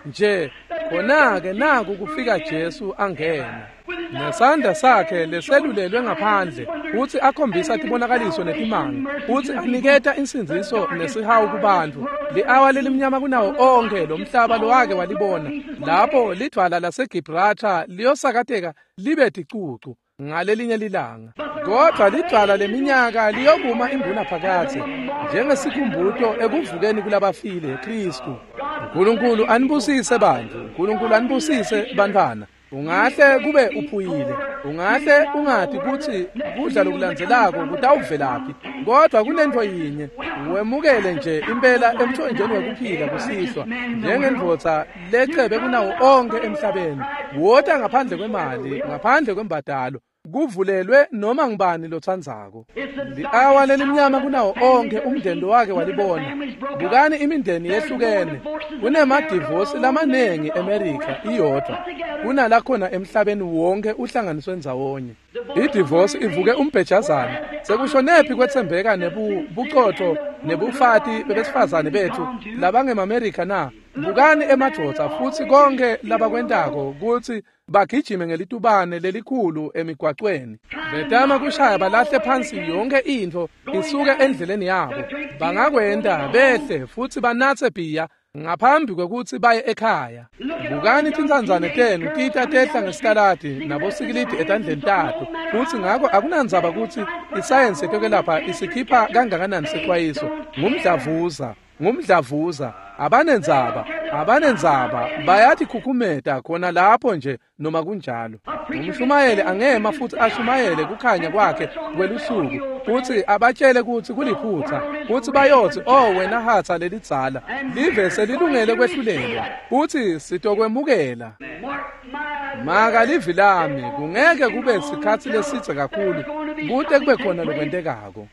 Nje khona-ke naku kufika Jesu angena nesandla sakhe leselulelwe ngaphandle, futsi akhombisa tibonakaliso netimanga, futsi aniketa insindziso nesihawu kubantfu. Li-awa lelimnyama kunawo onke lomhlaba lowake walibona, lapho lidvwala laseGibraltar liyosakateka libe ticucu ngalelinye lilanga. Kodwa lidvwala leminyaka liyokuma imbuna phakatsi njengesikhumbuto ekuvukeni kulabafile, Kristu. Nkulunkulu anibusise bantfu, Nkulunkulu anibusise bantfwana. Ungahle kube uphuyile, ungahle ungati kutsi kudla lokulandzelako kutawuvelaphi, kodwa kunentfo yinye, wemukele nje impela emthonjeni wekuphila kusihlwa njengendvodza lecebe kunawo onke emhlabeni. Wota ngaphandle kwemali, ngaphandle kwembadalo, kuvulelwe noma ngubani lotsandzako. Li-awa lelimnyama kunawo onke umndeni wake walibona. Bukani imindeni yehlukene. Kunemadivosi lamanengi eMerika iyodwa kunalakhona emhlabeni wonke uhlanganiswe ndzawonye. Idivosi ivuke umbhejazana. Sekushonephi kwetsembeka nebucotho nebufati bebesifazane bethu labangemaMerika na? Bukani emadvodza futsi konke labakwentako kutsi bagijime ngelitubane lelikhulu emigwacweni, betama kushaya balahle phansi yonke intfo isuke endleleni yabo. Bangakwenta behle futsi banatse bhiya ngaphambi kwekutsi baye ekhaya. Bukani tintsandzane tenu tita tehla ngesitaladi nabosikilidi etandleni tato, futsi ngako akunandzaba kutsi isayensi yetekwelapha isikhipha kangakanani sexwayiso. Ngumdlavuza, ngumdlavuza. Abanendzaba, abanendzaba, bayatikhukhumeta khona lapho nje noma kunjalo. Umshumayeli angema futhi ashumayele kukhanya kwakhe kwelusuku, futhi abatshele kutsi kuliphutha, futhi bayotsi, oh wena hatsa lelidzala, live selilungele kwehlulelwa, futhi sitokwemukela. Maka livi lami, kungeke kube sikhatsi lesidze kakhulu. kute kube khona lokwentekako.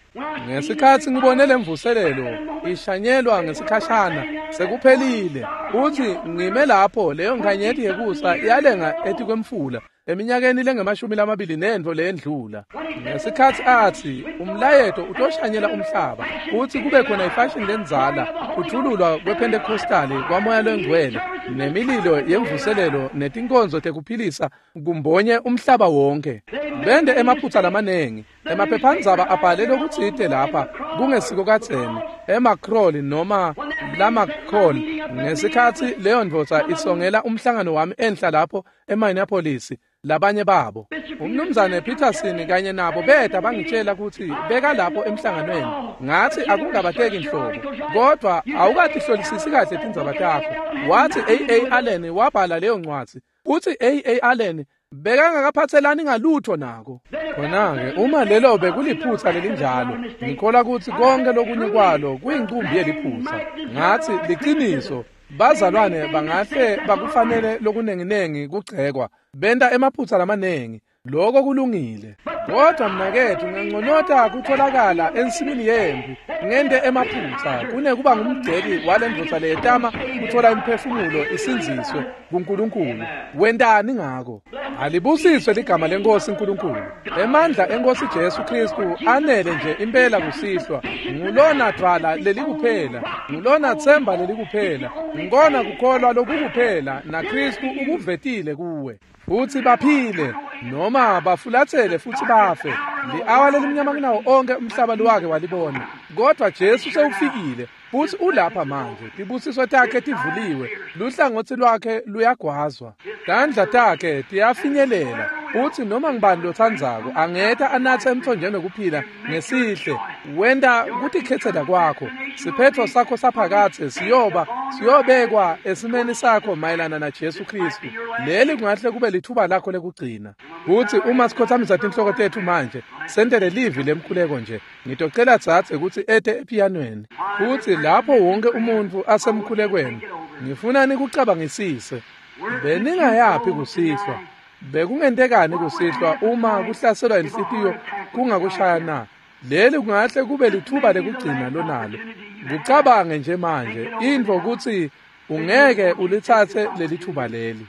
Ngesikhatsi ngibone lemvuselelo ishanyelwa ngesikhashana sekuphelile, uthi ngime lapho leyo nkhanyeti yekusa yalenga etikwemfula eminyakeni lengemashumi lamabili nentfo leyendlula. Ngesikhatsi atsi umlayeto utoshanyela umhlaba uthi kube khona ifashini lendzala, kuthululwa kwePentecostali kwaMoya Longcwele nemililo yemvuselelo netinkonzo tekuphilisa kumbonye umhlaba wonke. Bende emaphutsa lamanengi, emaphephandzaba abhale lokutsite lapha kungesiko kadzeni emakroli noma lamakhol. Ngesikhatsi leyo ndvodza isongela umhlangano wami enhla lapho eMinneapolis, labanye babo umnumzane Peterson kanye nabo beta bangitshela kutsi beka lapho emhlanganweni. Ngathi akungabateki nhlobo, kodwa awukatihlolisisi kahle tindzaba takho. Wathi A.A. Allen wabhala leyo ncwadzi, uthi A.A. Allen bekangakaphatselani ngalutho nako. Khona-ke uma lelo bekuliphutsa lelinjalo, ngikholwa kutsi konke lokunye kwalo kuyincumbi yeliphutsa. Ngathi liciniso, bazalwane bangahle bakufanele lokunenginengi kugcekwa, benta emaphutsa lamanengi, lokho kulungile. Kodwa mnaketfu nginconota kutholakala ensimini yempi ngente emaphutsa kunekuba ngumgceki walendvodza leyetama kuthola imiphefumulo isindziswe kuNkulunkulu. Wentani ngako? Alibusiswe ligama leNkosi uNkulunkulu. Emandla eNkosi Jesu Kristu anele nje impela kusihlwa. Ngulona dvwala lelikuphela, ngulona themba lelikuphela, ngikona kukholwa lokukuphela, naKristu ukuvetile kuwe. Futsi baphile noma bafulathele futsi bafe. Li-awa lelimnyama kunawo onke umhlaba lowake walibona. Kodwa Jesu sewufikile futsi ulapha manje. Tibusiso takhe tivuliwe, luhlangotsi lwakhe luyagwazwa, tandla takhe tiyafinyelela. Futsi noma ngibani lotsandzako angeta anatse emthonjeni wekuphila ngesihle. Wenta kutikhetsela kwakho. Siphetfo sakho saphakadze siyobekwa esimeni sakho mayelana na Jesu Kristu. Leli kungahle kube lithuba lakho lekugcina. Futsi uma sikhothamisa tinhloko tetfu manje, sentele livi lemkhuleko nje. Ngitocela dzadze kutsi ete epianweni. Futsi lapho wonke umuntfu asemkhulekweni, ngifuna nikucabangisise. Beningayaphi kusihlwa? Bekungentekani kusihlwa uma kuhlaselwa inhlitiyo kungakushaya na? Leli kungahle kube lithuba lekugcina lonalo. Kucabange nje manje intfo kutsi ungeke ulitsatse leli thuba leli.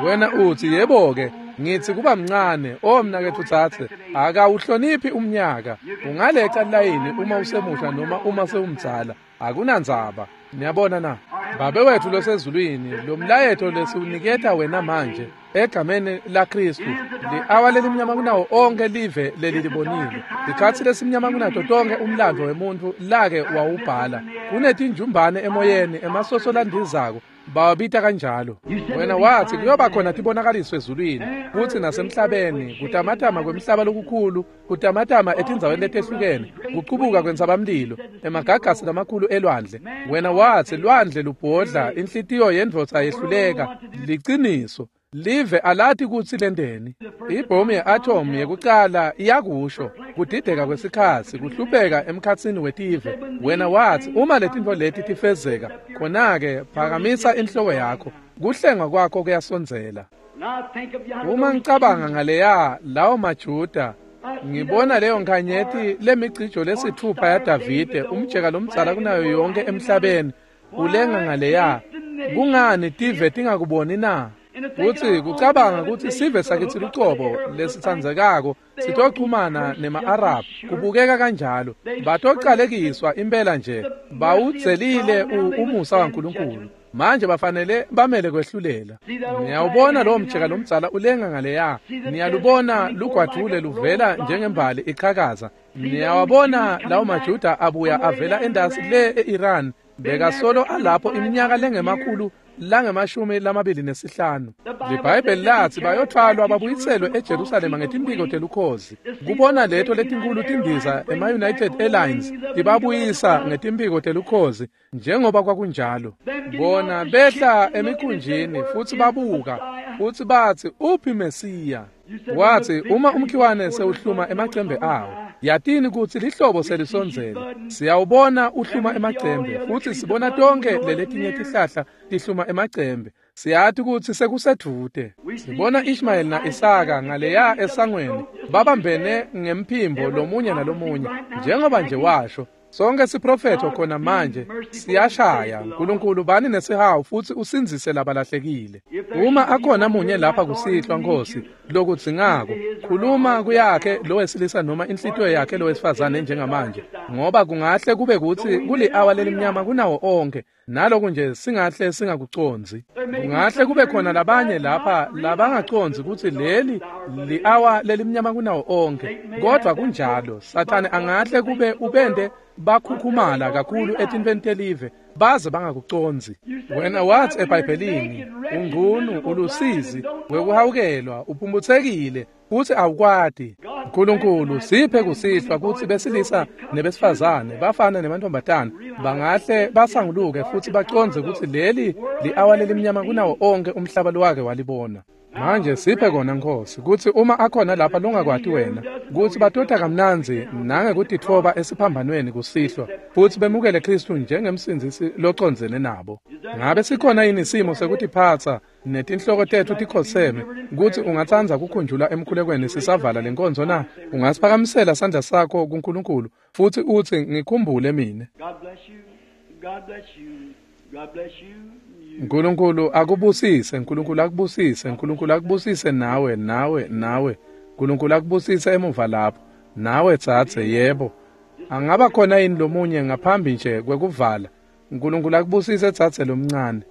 Wena uthi yebo-ke, ngithi kuba mncane, o mnaketfu tsatse, akawuhloniphi umnyaka. Ungaleca layini uma usemusha noma uma sewumdzala, akunandzaba. Niyabona na? Babe wethu losezulwini, lo mlayeto lesiwuniketa wena manje egameni laKristu, li-awa lelimnyama kunawo onke live lelilibonile, likhatsi lesimnyama kunato tonke umlandvo wemuntfu lake wawubhala. Kunetinjumbane emoyeni, emasoso landizako, bawabita kanjalo. Wena wathi kuyoba khona tibonakaliso ezulwini futsi nasemhlabeni, kutamatama kwemhlaba lokukhulu, kutamatama etindzaweni letehlukene, kucubuka kwentsabamlilo, emagagasi lamakhulu elwandle. Wena wathi lwandle lubhodla, inhlitiyo yendvodza yehluleka. Liciniso, live alati kutsi lenteni. Ibhomu ye-atom yekucala iyakusho kudideka kwesikhatsi, kuhlupeka emkhatsini wetive. Wena wathi uma letintfo leti tifezeka, khona-ke phakamisa inhloko yakho, kuhlengwa kwakho kuyasondzela. Uma ngicabanga ngaleya lawo maJuda, ngibona leyo nkhanyeti lemicijo lesithupha yaDavide, umjeka lomdzala kunayo yonke emhlabeni, ulenga ngaleya. Kungani tive tingakuboni na? Futsi kucabanga kutsi sive sakitsi lucobo lesitsandzekako sitochumana nema-Arab, kubukeka kanjalo. Batocalekiswa impela nje, bawudzelile umusa waNkulunkulu. Manje bafanele bamele kwehlulela. Niyawubona lowo mjeka lomdzala ulenga ngaleya. Niyalubona lugwadvule luvela njengembali iqhakaza. Niyawabona lawo maJuda abuya avela endasi le e-Iran, bekasolo alapho iminyaka lengemakhulu langemashumi lamabili nesihlanu. LiBhayibheli lathi bayothwalwa babuyiselwe eJerusalema ngetimphiko telukhozi. Kubona leto letinkulu tindiza ema-United Airlines tibabuyisa ngetimphiko telukhozi njengoba kwakunjalo. Bona behla emikhunjini futsi babuka futsi bathi uphi Mesiya? Wathi uma umkhiwane sewuhluma emacembe awo. Yatini kutsi lihlobo selisondzele. Siyawubona uhluma emacembe, futsi sibona tonkhe leletinye tihlahla tihluma emacembe. Siyati kutsi sekusedvute. Sibona Ishmael na-Isaka ngaleya esangweni babambene ngemphimbo lomunye nalomunye, njengoba nje washo. Sonke siprofetho khona manje siyashaya. Nkulunkulu bani nesihawu futsi usindzise labalahlekile. Uma akhona munye lapha kusihlwa, Nkosi, lokudzingako, khuluma kuyakhe lowesilisa noma inhlitiyo yakhe lowesifazane njengamanje, ngoba kungahle kube kutsi kuli-awa lelimnyama kunawo onke, naloku nje singahle singakucondzi. Kungahle kube khona labanye lapha labangacondzi kutsi leli li-awa lelimnyama kunawo onke, kodvwa kunjalo. Sathane angahle kube ubente bakhukhumala kakhulu etintfweni telive baze bangakucondzi. Wena wathi eBhayibhelini, ungcunu, ulusizi, wekuhawukelwa, uphumputsekile, futsi awukwati. Nkulunkulu, siphe kusihlwa kutsi besilisa nebesifazane, bafana nemantombazane, bangahle basanguluke futsi bacondze kutsi leli li-awa lelimnyama kunawo onke umhlaba lowake walibona. Manje siphe kona, Nkosi, kutsi uma akhona lapha longakwati wena, kutsi batota kamnandzi nangekutitfoba esiphambanweni kusihlwa, futsi bemukele Khristu njengemsindzisi locondzene nabo. Ngabe sikhona yini isimo sekutiphatsa netinhloko tetfu tikhoseme, kutsi ungatsandza kukhunjulwa emkhulekweni sisavala lenkonzo na? Ungasiphakamisela sandla sakho kuNkulunkulu futsi utsi, ngikhumbule mine. God bless you. God bless you. God bless you. You. Nkulunkulu akubusise, Nkulunkulu akubusise, Nkulunkulu akubusise nawe, nawe, nawe. Nkulunkulu akubusise emuva lapho. Nawe tsatse, yebo. Angaba khona yini lomunye ngaphambi nje kwekuvala? Nkulunkulu akubusise tsatse lomncane.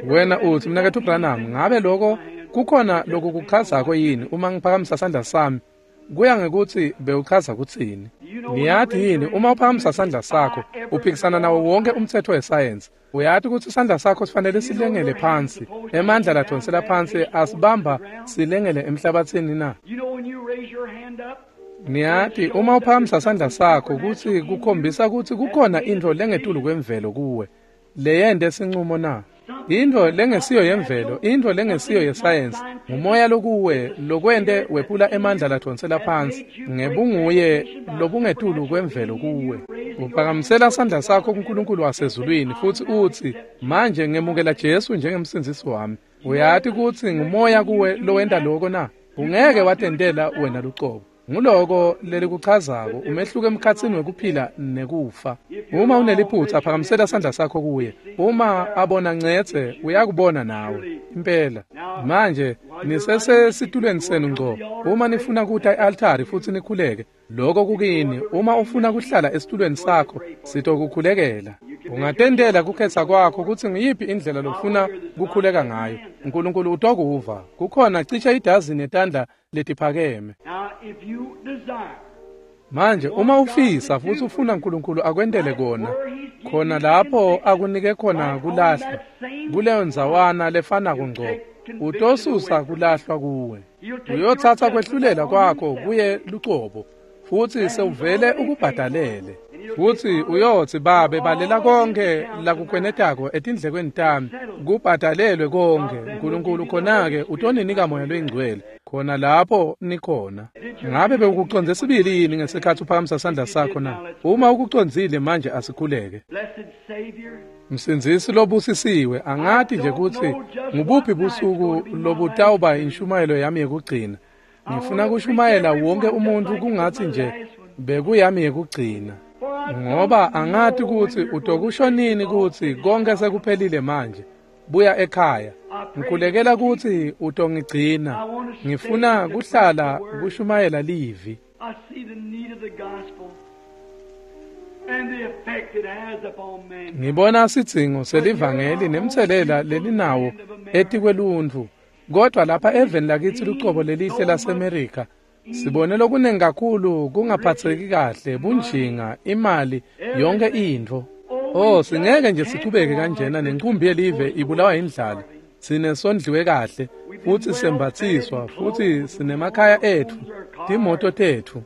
Wena utsi, Mnaketfu Branham, ngabe lokho kukhona lokukuchazako yini uma ngiphakamisa sandla sami? Kuya ngekutsi bewuchaza kutsini. Niyati yini, uma uphakamisa sandla sakho, uphikisana nawo wonke umtsetfo wesayensi. Uyati kutsi sandla sakho sifanele silengele phansi. Emandla ladonsela phansi asibamba silengele emhlabatsini na? You know when you raise your hand up, Niyati, uma uphakamisa sandla sakho kutsi kukhombisa kutsi kukhona intfo lengetulu kwemvelo kuwe. Leyente sincumo na? Intfo lengesiyo yemvelo, intfo lengesiyo yesayensi, ngumoya lokuwe lokwente wephula emandla ladonsela phansi ngebunguye lobungetulu kwemvelo kuwe. Uphakamisela sandla sakho kuNkulunkulu wasezulwini futsi utsi, manje ngemukela Jesu njengemsindzisi wami. Uyati kutsi ngumoya kuwe lowenta loko na? Ungeke watentela wena lucobo. Nguloko lelikuchazako umehluko emkhatsini wekuphila nekufa. Uma uneliphutsa, phakamisela sandla sakho kuye. Uma abona ncetse, uyakubona nawe. Impela. Manje nisesesitulweni senu ngco. Uma nifuna kuta e-altari futsi nikhuleke, lokho kukini. Uma ufuna kuhlala esitulweni sakho, sitokukhulekela. Ungatentela kukhetsa kwakho kutsi ngiyiphi indlela lofuna kukhuleka ngayo. Nkulunkulu utokuva. Kukhona cishe idazini yetandla letiphakeme. Now if you desire, Manje uma ufisa futsi ufuna Nkulunkulu akwentele kona, khona lapho akunike khona kulahlwa, kuleyo ndzawana lefanako ngco, utosusa kulahlwa kuwe. Uyotsatsa kwehlulela kwakho kuye lucobo, futsi sewuvele ukubhadalele. Futsi uyotsi, Babe, balela konke lakukwenetako etindlekweni tami, kubhadalelwe konke. Nkulunkulu khona-ke utoninika Moya loyiNgcwele, khona lapho nikhona. Ngabe bewukucondze sibili yini ngesikhatsi uphakamisa sandla sakho na? Uma ukucondzile manje asikhuleke. blessed Savior, Msindzisi lobusisiwe, angati nje kutsi ngubuphi busuku lobutawuba inshumayelo yami yekugcina. Ngifuna kushumayela wonke umuntu kungatsi nje bekuyami yekugcina. Ngoba angati kutsi utokusho nini kutsi konke sekuphelile manje. Buya ekhaya. Ngikhulekela kutsi utongigcina. Ngifuna kuhlala kushumayela livi. I see the need of the gospel and the effect it has upon man. Ngibona sidzingo selivangeli nemtselela lelinawo etikweluntfu. Kodwa lapha eveni lakitsi lucobo lelihle laseMerika, sibone lokunengi kakhulu kungaphatseki kahle, bunjinga, imali, yonke intfo. Oh, singeke nje sichubeke kanjena nenqumbi yelive ibulawa indlala. Sine sondliwe kahle, futsi sembatsiswa, futsi sinemakhaya etfu, timoto tetfu.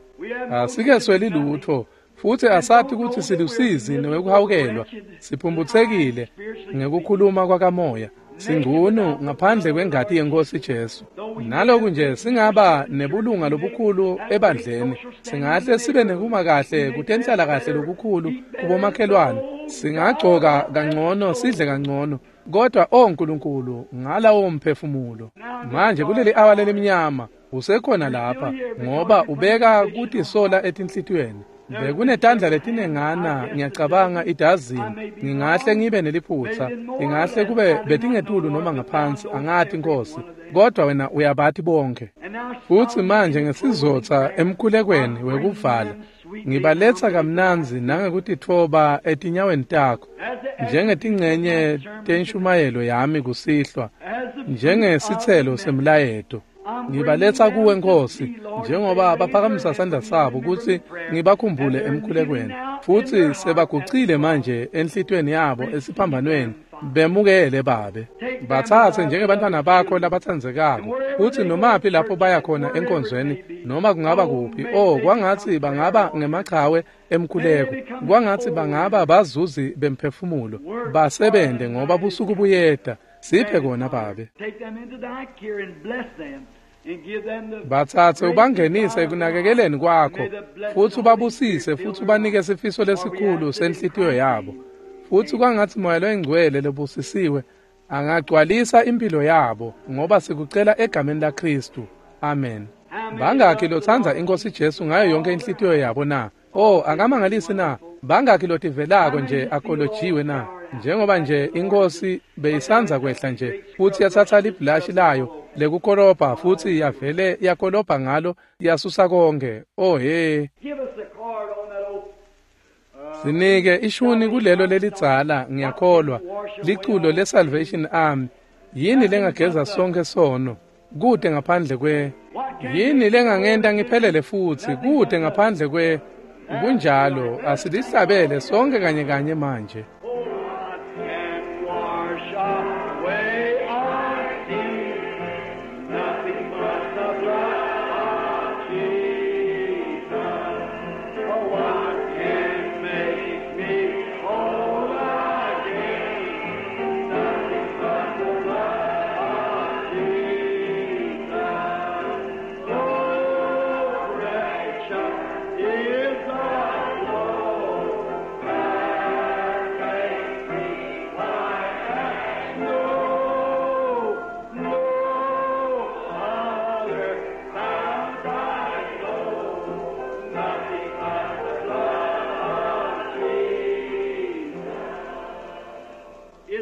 Asikesweli lutfo, futsi asati kutsi silusizi newekuhawukelwa, siphumphutsekile ngekukhuluma kwakamoya. Singunu ngaphandle kwengati yeNkosi Jesu. Naloku nje singaba nebulunga lobukhulu ebandleni, singahle sibe nekuma kahle kutenhlala kahle lokukhulu kubomakhelwane, singagcoka kangcono, sidle kangcono, kodwa o Nkulunkulu ngalawo mphefumulo. Manje kuleli awa lelimnyama usekhona lapha ngoba ubeka kutisola etinhlitiyweni. Bekunetandla letinengana, ngiyacabanga idazini, ngingahle ngibe neliphutsa, ingahle kube betingetulu noma ngaphansi, angati Nkosi, kodwa wena uyabathi bonke. Futhi manje ngesizotha emkhulekweni wekuvala, ngibaletha kamnandzi nangekutitfoba etinyaweni takho, njengetingcenye tenshumayelo yami kusihlwa, njengesitselo semlayeto. Ngibaletha kuwe Nkosi, njengoba baphakamisa sandla sabo kutsi ngibakhumbule emkhulekweni, futhi sebagucile manje enhlitiyweni yabo esiphambanweni, bemukele Babe. Bathathe njengebantwana bakho labatsandzekako, futhi nomaphi lapho baya khona enkonzweni, noma kungaba kuphi, oh kwangatsi bangaba ngemachawe emkhuleko, kwangatsi bangaba bazuzi bemphefumulo, basebente ngoba busuku buyeda. Siphe kona Babe. Bathathe ubangenise ekunakekeleni kwakho, futhi ubabusise, futhi ubanike sifiso lesikhulu senhlitiyo yabo. Futhi kwangatsi Moya loyiNgcwele lobusisiwe angagcwalisa impilo yabo, ngoba sikucela egameni laKristu. Amen. Bangakhi lotsandza iNkosi Jesu ngayo yonke inhlitiyo yabo na? Oh, akamangalisi na? Bangakhi lotivelako nje akolojiwe na? Njengoba nje iNkosi beyisandza kwehla nje, futhi yathatha libhulashi layo lekukorobha, futhi yavele yakorobha ngalo, yasusa konke. Oh he. Sinike ishuni kulelo lelidzala, ngiyakholwa, liculo le-Salvation Army. Yini lengageza sonke sono? Kude ngaphandle kwe. Yini lengangenta ngiphelele futhi? Kude ngaphandle kwe. Kunjalo, asilihlabele sonke kanye kanye manje.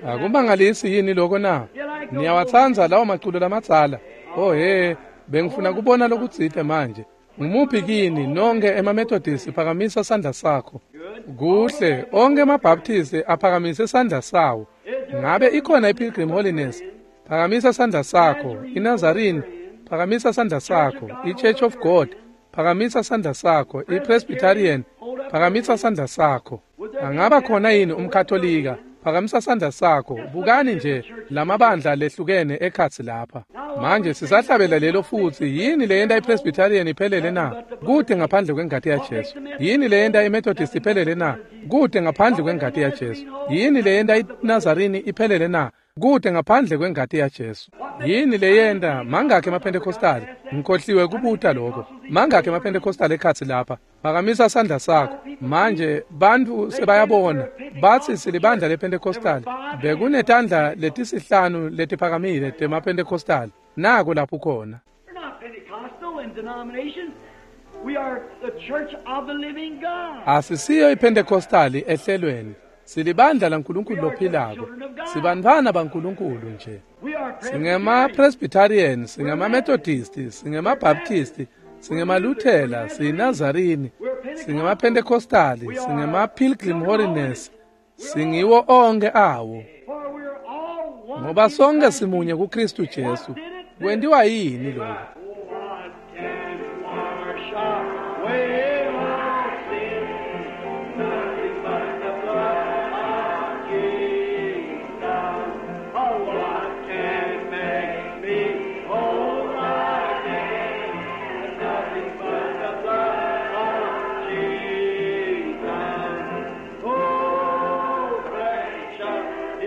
Akumangalisi yini lokho na? Niyawatsandza lawo maculo lamadzala? Oh he, bengifuna kubona lokutsite manje. Ngumuphi kini nonke emaMethodist phakamisa sandla sakho? Kuhle, onke emaBaptist aphakamise sandla sawo. Ngabe ikhona iPilgrim Holiness? Phakamisa sandla sakho. INazarene, phakamisa sandla sakho. IChurch of God, phakamisa sandla sakho. IPresbyterian, phakamisa sandla sakho. Angaba khona yini umKatolika? Phakamisa sandla sakho. Bukani nje lamabandla lehlukene ekhatsi lapha. Manje sisahlabela lelo futhi. Yini leyenta iPresbyterian iphelele na? Kude ngaphandle kwengati yaJesu. Yini leyenta iMethodist iphelele na? Kude ngaphandle kwengati yaJesu. Yini leyenta iNazarene iphelele na? Kude ngaphandle kwengati yaJesu. Yini leyenta mangakhe emaPentecostal? Ngikhohliwe kubuta lokho. Mangakhe emaPentecostal ekhatsi lapha? Phakamisa sandla sakho. Manje bantfu sebayabona, batsi silibandla lePentecostal. Bekunetandla letisihlanu letiphakamile temaPentecostal. Nako lapho khona. Asisiyo iPentecostal ehlelweni. Silibandla laNkulunkulu lophilako. Sibantfwana baNkulunkulu nje. SingemaPresbyterian, singemaMethodist, singemaBaptist, singemaLuthela, siyiNazarene, singemaPentecostal, singemaPilgrim Holiness, singiwo onke awo. Ngoba sonke simunye kuKristu Jesu. Kwentiwa yini lokho?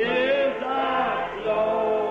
Is the Lord.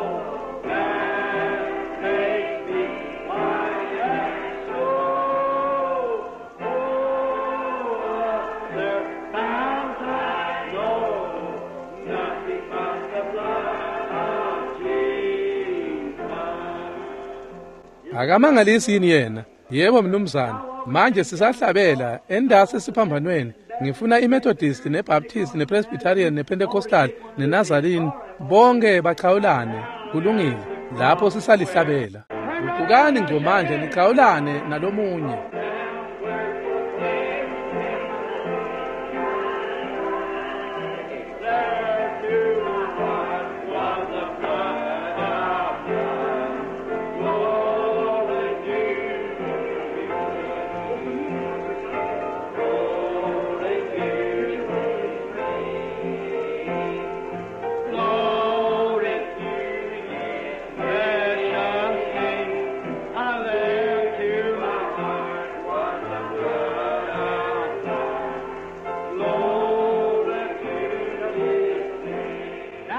Akamangalisi yini yena? Yebo mnumzane. Manje sisahlabela endasi esiphambanweni. Ngifuna iMethodist neBaptist nePresbyterian nePentecostal neNazarene bonke bachawulane. Kulungile. Lapho sisalihlabela. Guqukani ngco manje nichawulane nalomunye.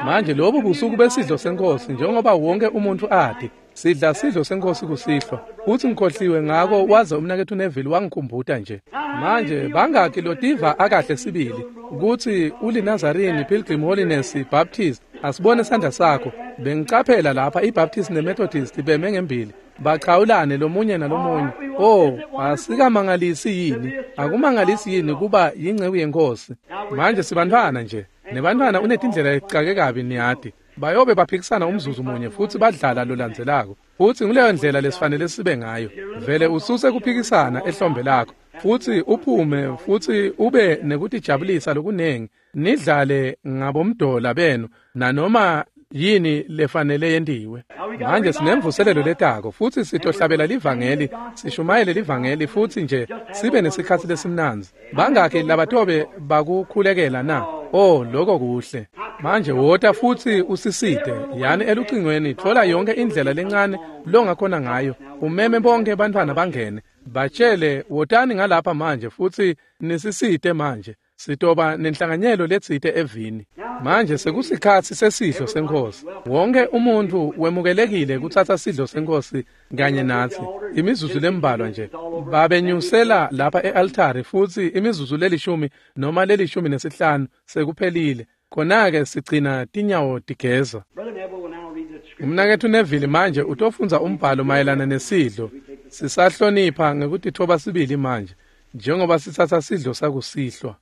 Manje lobu busuku besidlo senkosi, njengoba wonke umuntu ati sidla sidlo senkosi kusihlwa, futhi ngikhohliwe ngako waze umnakethu Neville wangikhumbuta nje. Manje bangaki lotiva akahle sibili ukuthi uliNazarene, Pilgrim Holiness, Baptist? Asibone isandla sakho. Bengicaphela lapha iBaptist neMethodist beme ngembili bachawulane lomunye nalomunye. Oh, asikamangalisi yini? Akumangalisi yini kuba yingceku yenkosi? Manje sibantwana nje. Nebantwana unetindlela lecake kabi niyati. Bayobe baphikisana umzuzu munye futhi badlala lolandzelako. Futhi nguleyo ndlela lesifanele sibe ngayo. Vele ususe kuphikisana ehlombe lakho futhi uphume futhi ube nekutijabulisa lokunengi. Nidlale ngabomdola benu nanoma yini lefanele yentiwe. Manje sinemvuselelo letako futhi sitohlabela livangeli, sishumayele livangeli futhi nje sibe nesikhatsi lesimnandzi. Bangakhi labatobe bakukhulekela na? Oh, lokho kuhle. Manje wota futhi usisite, yani elucingweni, thola yonke indlela lencane longakhona ngayo. Umeme bonke bantwana bangene. Batshele wotani ngalapha manje futhi nisisite manje. Sitoba nenhlanganyelo letsite evini. Manje sekusikhatsi sesidlo senkosi. Wonke umuntu wemukelekile kutsatsa sidlo senkosi kanye natsi. Imizuzu lembalwa nje. Babenyusela lapha e-altari futhi imizuzu lelishumi noma 15 sekuphelile. Khona-ke sigcina tinyawo tigeza. Umnakethu Neville manje utofundza umbhalo mayelana nesidlo. Sisahlonipha ngekutithoba sibili manje njengoba sitsatsa sidlo sakusihlwa.